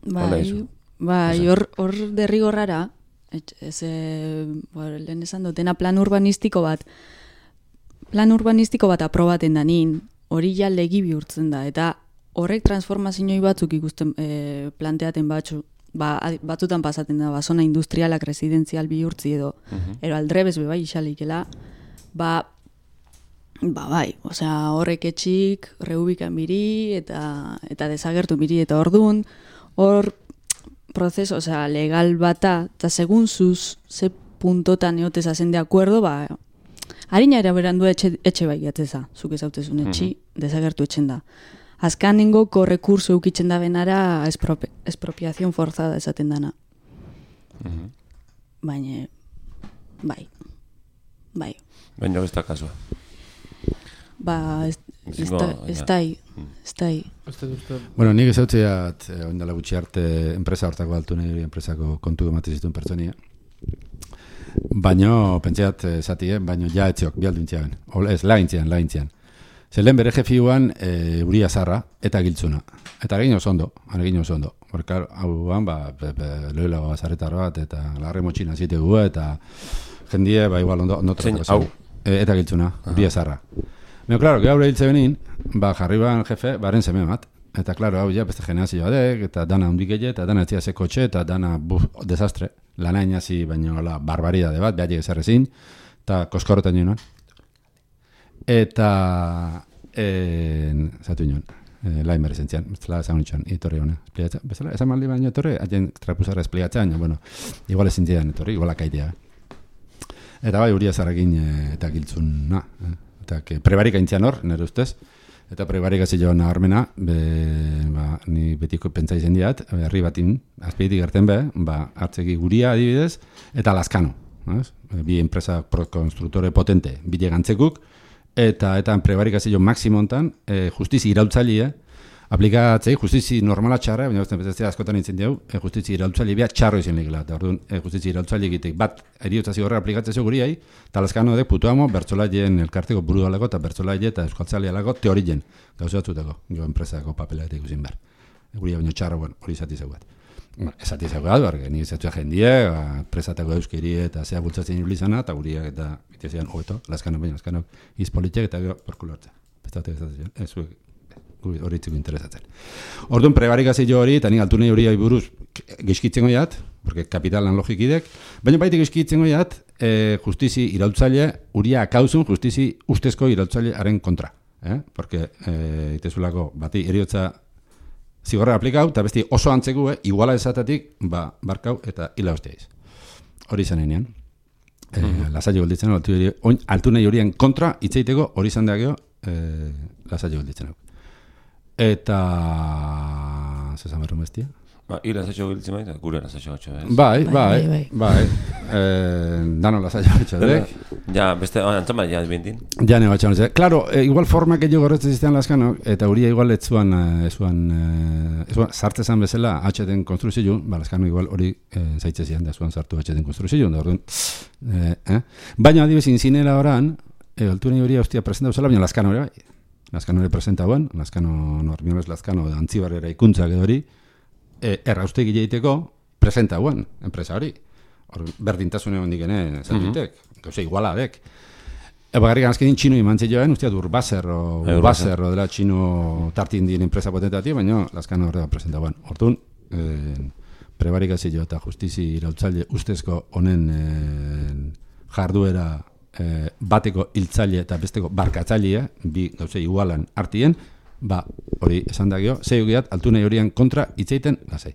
Bai, hor derrigorrara, lehen esan dutena plan urbanistiko bat aprobaten da nin, hori ja legi bihurtzen da, eta horrek transformazioi batzuk ikusten planteaten batzutan pasaten da, zona industrialak residenzial bihurtzi edo, ero aldrebez bebai isalikela, bai, osea, horrek etxik, reubikan biri, eta desagertu biri, eta ordun, hor prozeso, osea, legal bata, eta segun zuz, ze puntotan eotez hazen de acuerdo, harina eraberandu etxe bai gatzeza, zuk ezautezun etxi, desagertu etxen da. Azkanengo korrekurso eukitzen da benara expropiazion forzada esaten dana. Baina, bai. Baina ez da kasua. Ez da. Bueno, nik ezautzeat, oindala gutxi arte, enpresa hortako altu nahi enpresako kontu ematen zituen pertsonia. Baina, pentseat, zatie, baina ja etziok, bialdintziaben. Ez, lagintzian. Zelen bere jefiuan Uria Zarra eta Giltzuna. Eta egin oso ondo. Porque, hauan, loilago zarretar bat, eta larre motxina zitegu, eta jendie, igual ondo tratako. Eta Giltzuna, Uria Zarra. Pero claro, que abre hiltze benin, jarri ban jefe, baren seme bat. Eta claro, hau ja beste generazio badek, eta dana hundikelle, eta dana etzia ze kotxe, eta dana desastre. Lana inazi, baina barbaridade bat, behar ezarrezin, eta koskoroten joan. Eta, zatu inoan, lain berezentzian, bezala esan nitxan, etorri hona, espliatza. Bezala, esan maldi baina etorri, haien trapuzara espliatza, baina, bueno, igual ezintzian etorri, igual akaitea. Eta bai, Uria Zarrakin eta Giltzuna, eta prebarik aintzian hor, nire ustez, eta prebarik azioan naharmena, ni betiko pentsa izen diat, herri batin, azpeitik gerten hartzeki Guria adibidez, eta Laskano, bi enpresa konstruktore potente, bide gantzekuk, eta prebarik azio maksimontan, justizi irautzailia, aplikatzei justizi normala txarra, baina ez askotan nintzen dugu, justizi iraultzaile bia txarro izan legela. Eta orduan, justizi iraultzaile egitek bat eriotza zigorra aplikatzea guriai, eta laskano dek putuamo bertzolaien elkarteko buru dalako eta bertzolaile eta euskaltzalea lako teorien gauza batzutako, jo enpresako papela eta ikusin behar. Guria baino txarra, hori izati zeugat. Esati zeugat, barge, ni izatua jendie, presatako euskeri eta zea bultzatzen ibilizana, eta guriak eta bitezian hobeto, laskano baina, laskano izpolitiak eta gero porkulo hartza. Hori txiko interesatzen. Orduan, prebarikazio hori, eta nik altunei hori buruz gizkitzen goiat, porque kapitalan logikidek, baina baitik gizkitzen goiat, justizi iraultzaile, uria akauzun justizi ustezko iraultzailearen kontra. Porque, itezulako, bati eriotza zigorra aplikau, eta besti oso antzeku, iguala esatatik, barkau eta hila hostiaiz. Hori izan enean. Lasaile golditzen, altunei horien kontra, itzeiteko hori izan dagio, lasaile golditzen. Eta... zezan berru mestia? Hila lasaile golditzen baita, gure lasaile golditzen. Bai. Dano lasaile golditzen. Ja, beste, antzama, ja, bintin. Ja, nego atxan. Claro, igual formak egin gorretzen ziztean laskano, eta huria igual ez zuan sartzezan bezala atxeten konstruzio, laskano igual hori zaitze zian, da zuan sartu atxeten konstruzio, da orduan. Baina, adibes, inzinela oran, altunei hori hostia presenta bezala, baina laskano hori bai. Laskano hori presenta guen, laskano, normiones laskano, antzibarrera ikuntzak edori, erraustegi egiteko presenta guen, enpresa hori. Berdintasune hondik ene, zantitek, gauza igualadek. Bagarrik azkenin txino imantzi joan, usteat Urbaser o dela txino tartin dien enpresa potentati, baina laskano horrega presenta guen. Hortun, prebarikazio eta justizi iraultzaile ustezko honen jarduera bateko hiltzaile eta besteko barkatzailea, bi gauza igualan artien, hori esan dagio, zeiugiat altunei horien kontra itzeiten lasai.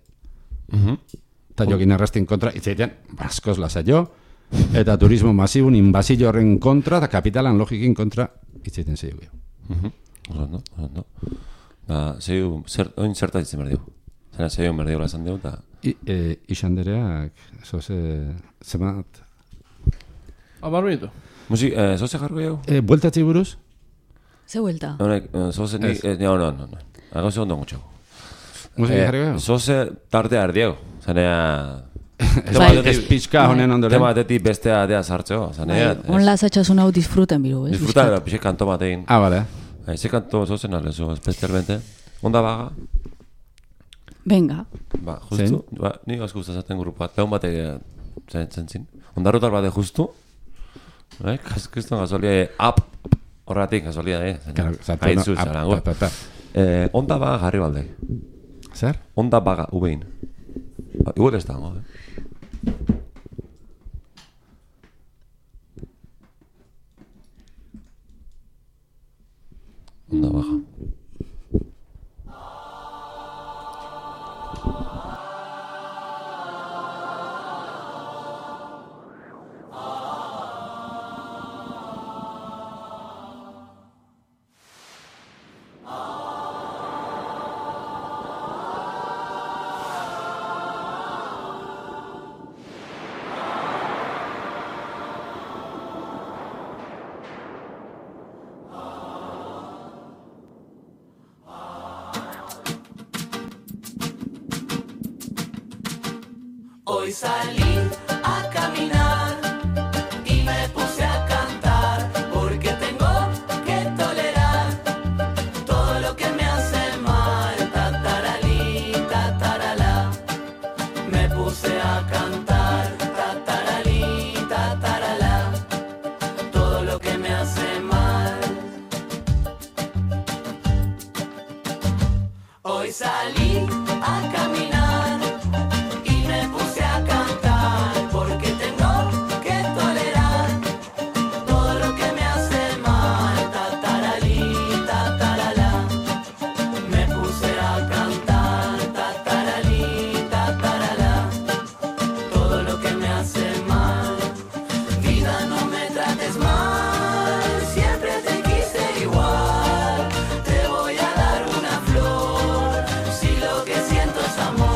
Eta jokin errastien kontra itzeiten askoz lasai jo, eta turismo masibun inbazio horren kontra, eta kapitalan logikin kontra itzeiten zeigio. Ondo. Zeiu, oin zerta ditzen berdio? Zena zeiu berdio lazan dugu, eta... Ixandereak, zemat... Amar minuto. Musik, zoze jargo jau? Bueltatzi buruz? Ze vuelta? Zoze ni... No. Agauze ondo gutxago. Musik jargo jau? Zoze tarte ardiego. Zanea... Ez pixka honen ondoren. Tema batetik bestea adea sartzeo. On lasatxasun hau disfruten biru, ez? Disfruta, pixe kanto batein. Vale. Ese canto zoze nalezo, especialmente. Onda baga? Venga. Justu. Ni asko gustatzen grupo bat. Peun bate zentzin. Ondarrotar bate justu. Kriston gasolia horretik gasolia, Haitzu zarango. Onda baga jarri balde. Zer? Onda baga, ubein. Igual ez dago, Onda baga. Hoy salí a caminar y me puse a cantar porque tengo que tolerar todo lo que me hace mal. Tataralí, tataralá. Me puse a cantar tataralí, tataralá. Todo lo que me hace mal. Hoy salí a caminar. Amor.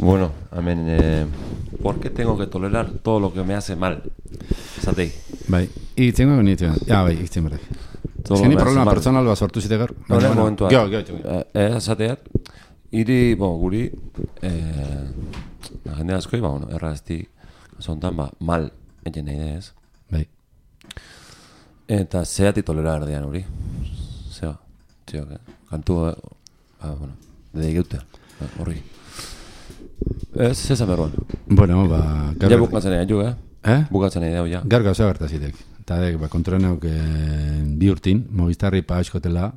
Bueno, hemen, ¿por qué tengo que tolerar todo lo que me hace mal? Zatei. Bai, itztengo genitu. Ja, bai, itzten berrek. Todo lo Zeni que me hace problema mal. personal bat sortu zite gaur. Hora, momentua. Gio. Zateat, iri, guri, jende askoi, errazti, zontan, mal, egin nahi ez. Bai. Eta zeati tolerar dean hori. Zeba, txok, kantu, dedegeute, horri. Ez ezan berroan. Bueno, Ja bukatzen nahi du, Bukatzen nahi du, ja. Gaur gauza bertazitek. Eta dek, kontroneuk bi urtin, Movistarri pagazkotela,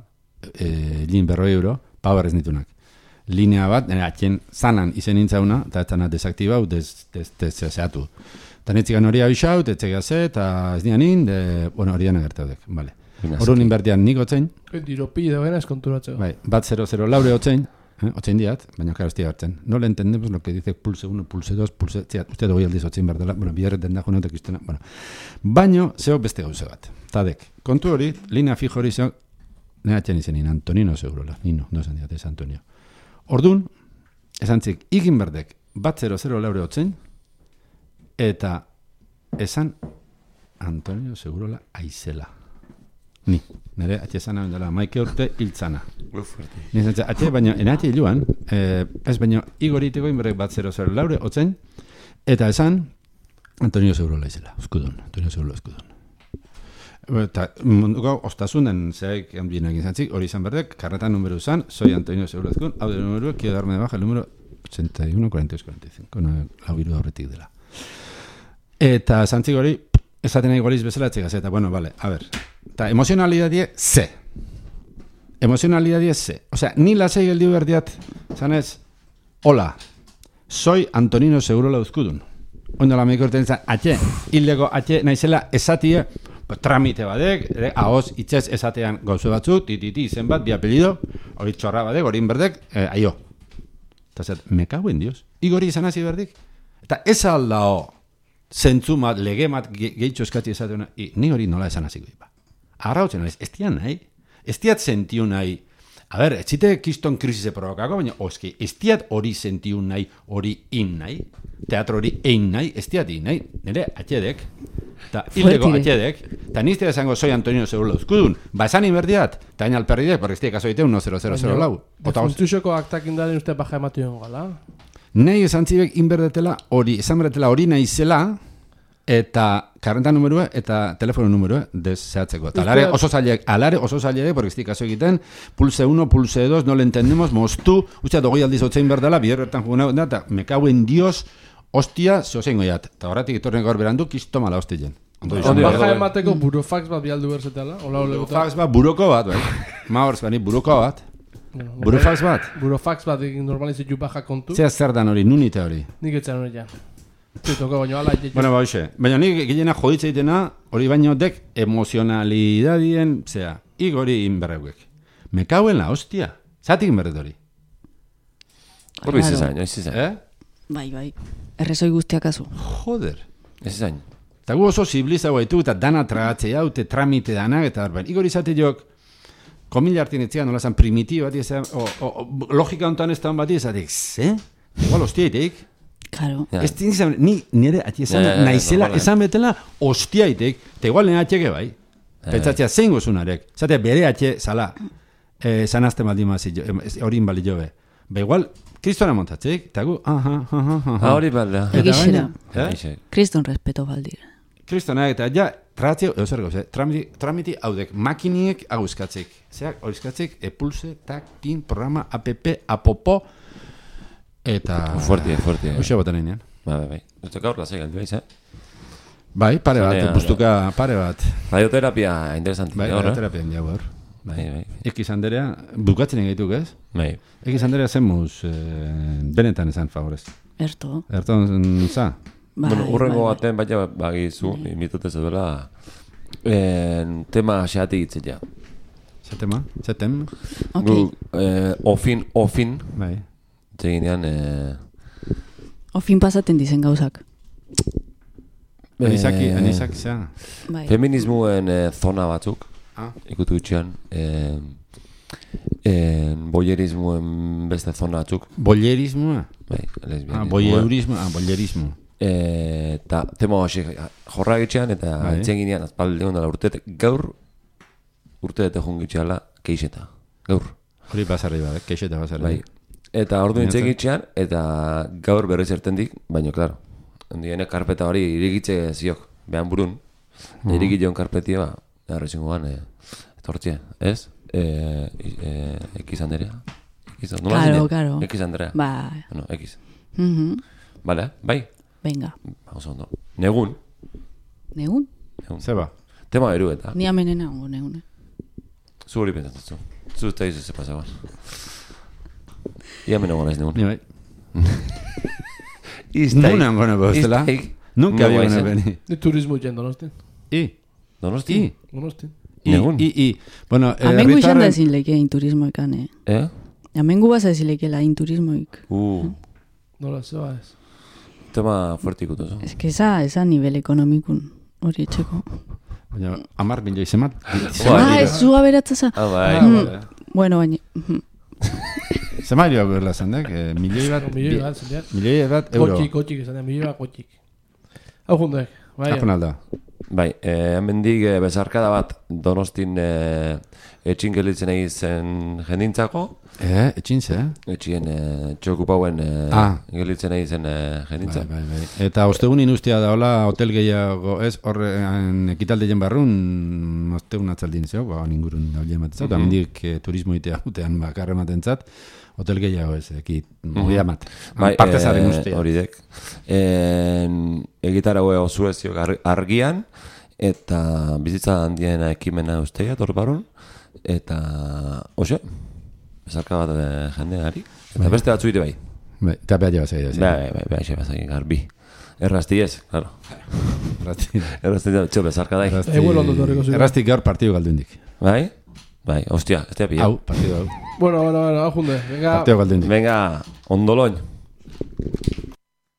lin €100, power ez nitunak. Linea bat, atxen zanan izen nintzauna, eta ez zana desaktibau, zehatu. Eta netzikan hori abixaut, etzega ze, eta ez nian hori dena gertaudek, bale. Horun inbertian nik otzein. Diropi da gana eskonturatzeko. Bai, bat 0-0 laure otzein, otzein diat, baina karo estia hartzen. No le entendemos lo que dice pulse 1, pulse 2, pulse... Uste dugu aldiz otzein behar dela, biharreten da jonetek iztena, baino, zeo beste gauze bat. Tadek, kontu hori, linea fijo hori zeo, nehatxen izenin, Antonino segurola, Nino, no esan diat, ez Antonio. Ordun, esan tzik, igin berdek, bat 0-0 laure otzein, eta esan Antonio segurola aizela. Ni, nire atxe zana bendela, maike urte hiltzana. Ni zantza, atxe baina, enatxe hiluan, ez baina, igoriteko inberrek bat 0-0 laure, otzen, eta esan, Antonio Segurola izela, eskudun, Antonio Segurola eskudun. Eta munduko ostasunen zeak hanbienak izantzik, hori izan berdek, karretan numeru izan, soy Antonio Segurola eskudun, hau de numeru, quiero darme de baja el número 81-42-45, lau biru horretik dela. Eta zantzik hori, esaten nahi goliz bezala etxegaz, eta bueno, vale, a ver, eta emozionalidadie ze. Emozionalidadie ze. Osea, ni lasei geldiu berdiat, zanez, hola, soy Antonino Segurola Uzkudun. Ondo la meiko urten zan, atxe, hildeko atxe naizela esatie, tramite badek, ahoz itxez esatean gauze batzuk, tititi izen bat, bi apelido, hori txorra badek, hori inberdek, aio. Eta zet, me cago en Dios. Igori izan hasi berdik. Eta ez aldao, zentzumat, legemat gehitxo eskatzi esateuna, ni hori nola esan hasiko ipa. Arrautzen naiz, ez dian nahi, ez diat sentiu nahi, a ber, ez zite kiston krisise provokako, baina, oski, ez diat hori sentiu nahi, hori in nahi, teatro hori ein nahi, ez diat in nahi, nire atxedek, eta hildeko atxedek, eta nizte esango soy Antonio Segurola Uzkudun, esan inberdiat, eta hain alperridek, porque ez diak azoite 1-0-0-0 lau. Defuntuxoko aktak indaren uste baja ematioen gala. Nahi esan zibek inberdetela hori, esan berdetela hori nahi zela, eta karrenta numerua eta telefono numerua deseatzeko. Eta alare oso zailek, porque estik aso egiten, pulse 1, pulse 2, no le entendemos, moztu, ustea dogoi aldiz otzein berdala, biherretan jugun da, eta me cago en Dios, hostia, zehozein goiat. Eta horretik itorren gaur berandu, kisto mala hostien. Baja emateko burofax bat bialdu berzetela, burofax bat, buroko bat, bai. Maorz, bani, buroko bat. Burofax bat? Burofax bat normalizitu baja kontu. Zea zer dan hori, nunite hori? Nik etzen hori ja. Bueno, baina nik gilena joditza itena, hori baino dek emozionalidadien, zera, igori inberreuek. Me cago en la hostia. Zatik inberret hori. Horri izan, ez izan. Bai, errezoi guztiak azu. Joder. Ez izan. Eta gu oso zibliza guaitu, eta dana tragatzea, eta tramite danak, eta barbain. Igor izate jok, komila hartin etzian, nola zan primitiba, logika ontan ez da hon bat, izatek, ze? Igual hostiaitek. Claro. Ez dintzen, ni nire ati esan naizela, esan betela hostiaitek, eta igual nire atxeke bai. Pentsatzea zein gozunarek. Zatea bere atxe, zala, zanazte maldimazi, hori inbali jobe. Ba igual, kristona montatzeik, eta gu, hori balda. Egixera. Kriston respeto baldir. Kristona, eta ja, tratzeo, zer gauze, tramiti haudek, makiniek aguzkatzeik. Zeak, horizkatzeik, pulse, tak, tin, programa, app, apopo, eta... Fuerti. Hoxe botan einean. Bai. Eta gaur lasai galdu aiz, Bai, pare bat, bustuka pare bat. Radioterapia interesanti. Bai, radioterapia indiago gaur. Bai. Ekiz Anderea, bukatzen egaituk ez? Bai. Ekiz Anderea zenmuz, benetan esan favorez. Erto za? Bueno, urrengo baten baina bagizu, imitutez edola, tema xeatik itzitea. Zetema? Zetem? Ofin. Bai. Zeginean... Ofin pasaten dizen gauzak. Anizak, zea? Feminismuen zona batzuk, ikutu gutxian, boyerismoen beste zona batzuk. Bollerismoa? Bai, lesbianismo. Bollerismo. Eta tema hasi jorra gitxean eta Bai. itzen ginean azpaldi ondala urteetek. Gaur urteetek jungitxeala keixeta. Gaur. Hori basarri bat, keixeta basarri. Bai. Eta ordu Baina itzen zer? gitxean eta gaur berriz ertendik, baina, klaro, ondiene karpeta hori irigitze ziok, behan burun, irigitzeon karpetia, errezingoan, etortzia, ez? Ekiz Anderea. Claro. Ekiz Anderea. Ba, Bueno, ekiz. mhm. Vale, bai? Venga. Oso ondo. Negun. Negun? Zeba? Tema beru eta. Ni amenena ongo negun. Zu hori pentsatzu. Zu eta izu ze pasaban. Ia menago naiz negun. Ni bai. Nuna gona bostela. Nunca había gona beni. Ni turismo jen Donostin. Donosti? Donostin. Negun. Bueno, Amengu izan da ezin leike inturismoekan, Eh? Amengu baza ezin leikela inturismoik. Nola, zeba ez. Tema fuertikutu, zo. Ez que esa nivel ekonomikun hori etxeko. Baina, 10 milioi zemat. Ez zuga beratzaza. Bai. Bueno, baina... Zemat joa berla zandek, milioi bat... Milioi bat, zendiak. Milioi bat euro. Kotxik izan da, milioi bat kotxik. Hau jundek, bai. Apunalda. Bai, hemendik bezarkada bat Donostin etxin gelitzen egin jendintzako, Etxin ze, etxien txokupauen gelitzen egin jendintza. Bai. Eta ostegun inustia da, hola, hotel gehiago, ez, horren ekitaldeien barrun, ostegun atzaldin zeo, ningurun da hori ematen zau, eta mendik turismo itea utean bakarra ematen zat, hotel gehiago ez, mugia mat. Bai, Parte zaren ustea. hori dek. Egitarago osuezio argian, eta bizitza handiena ekimena usteia, torbarun, eta, oso, bezarka bat jendeari, eta beste batzu ite bai. Bai, eta behar joa zei. Bai, xe bazak garbi. Errasti ez, claro. Errasti da, txo, bezarka dai. Eguelo ondo torriko ziren. Errastik gaur partidu galdu indik. Bai? Bai, hostia, ez da pilla. Hau, partidu hau. Bueno, hau junde. Venga. Partidu galdu indik. Venga, ondoloin.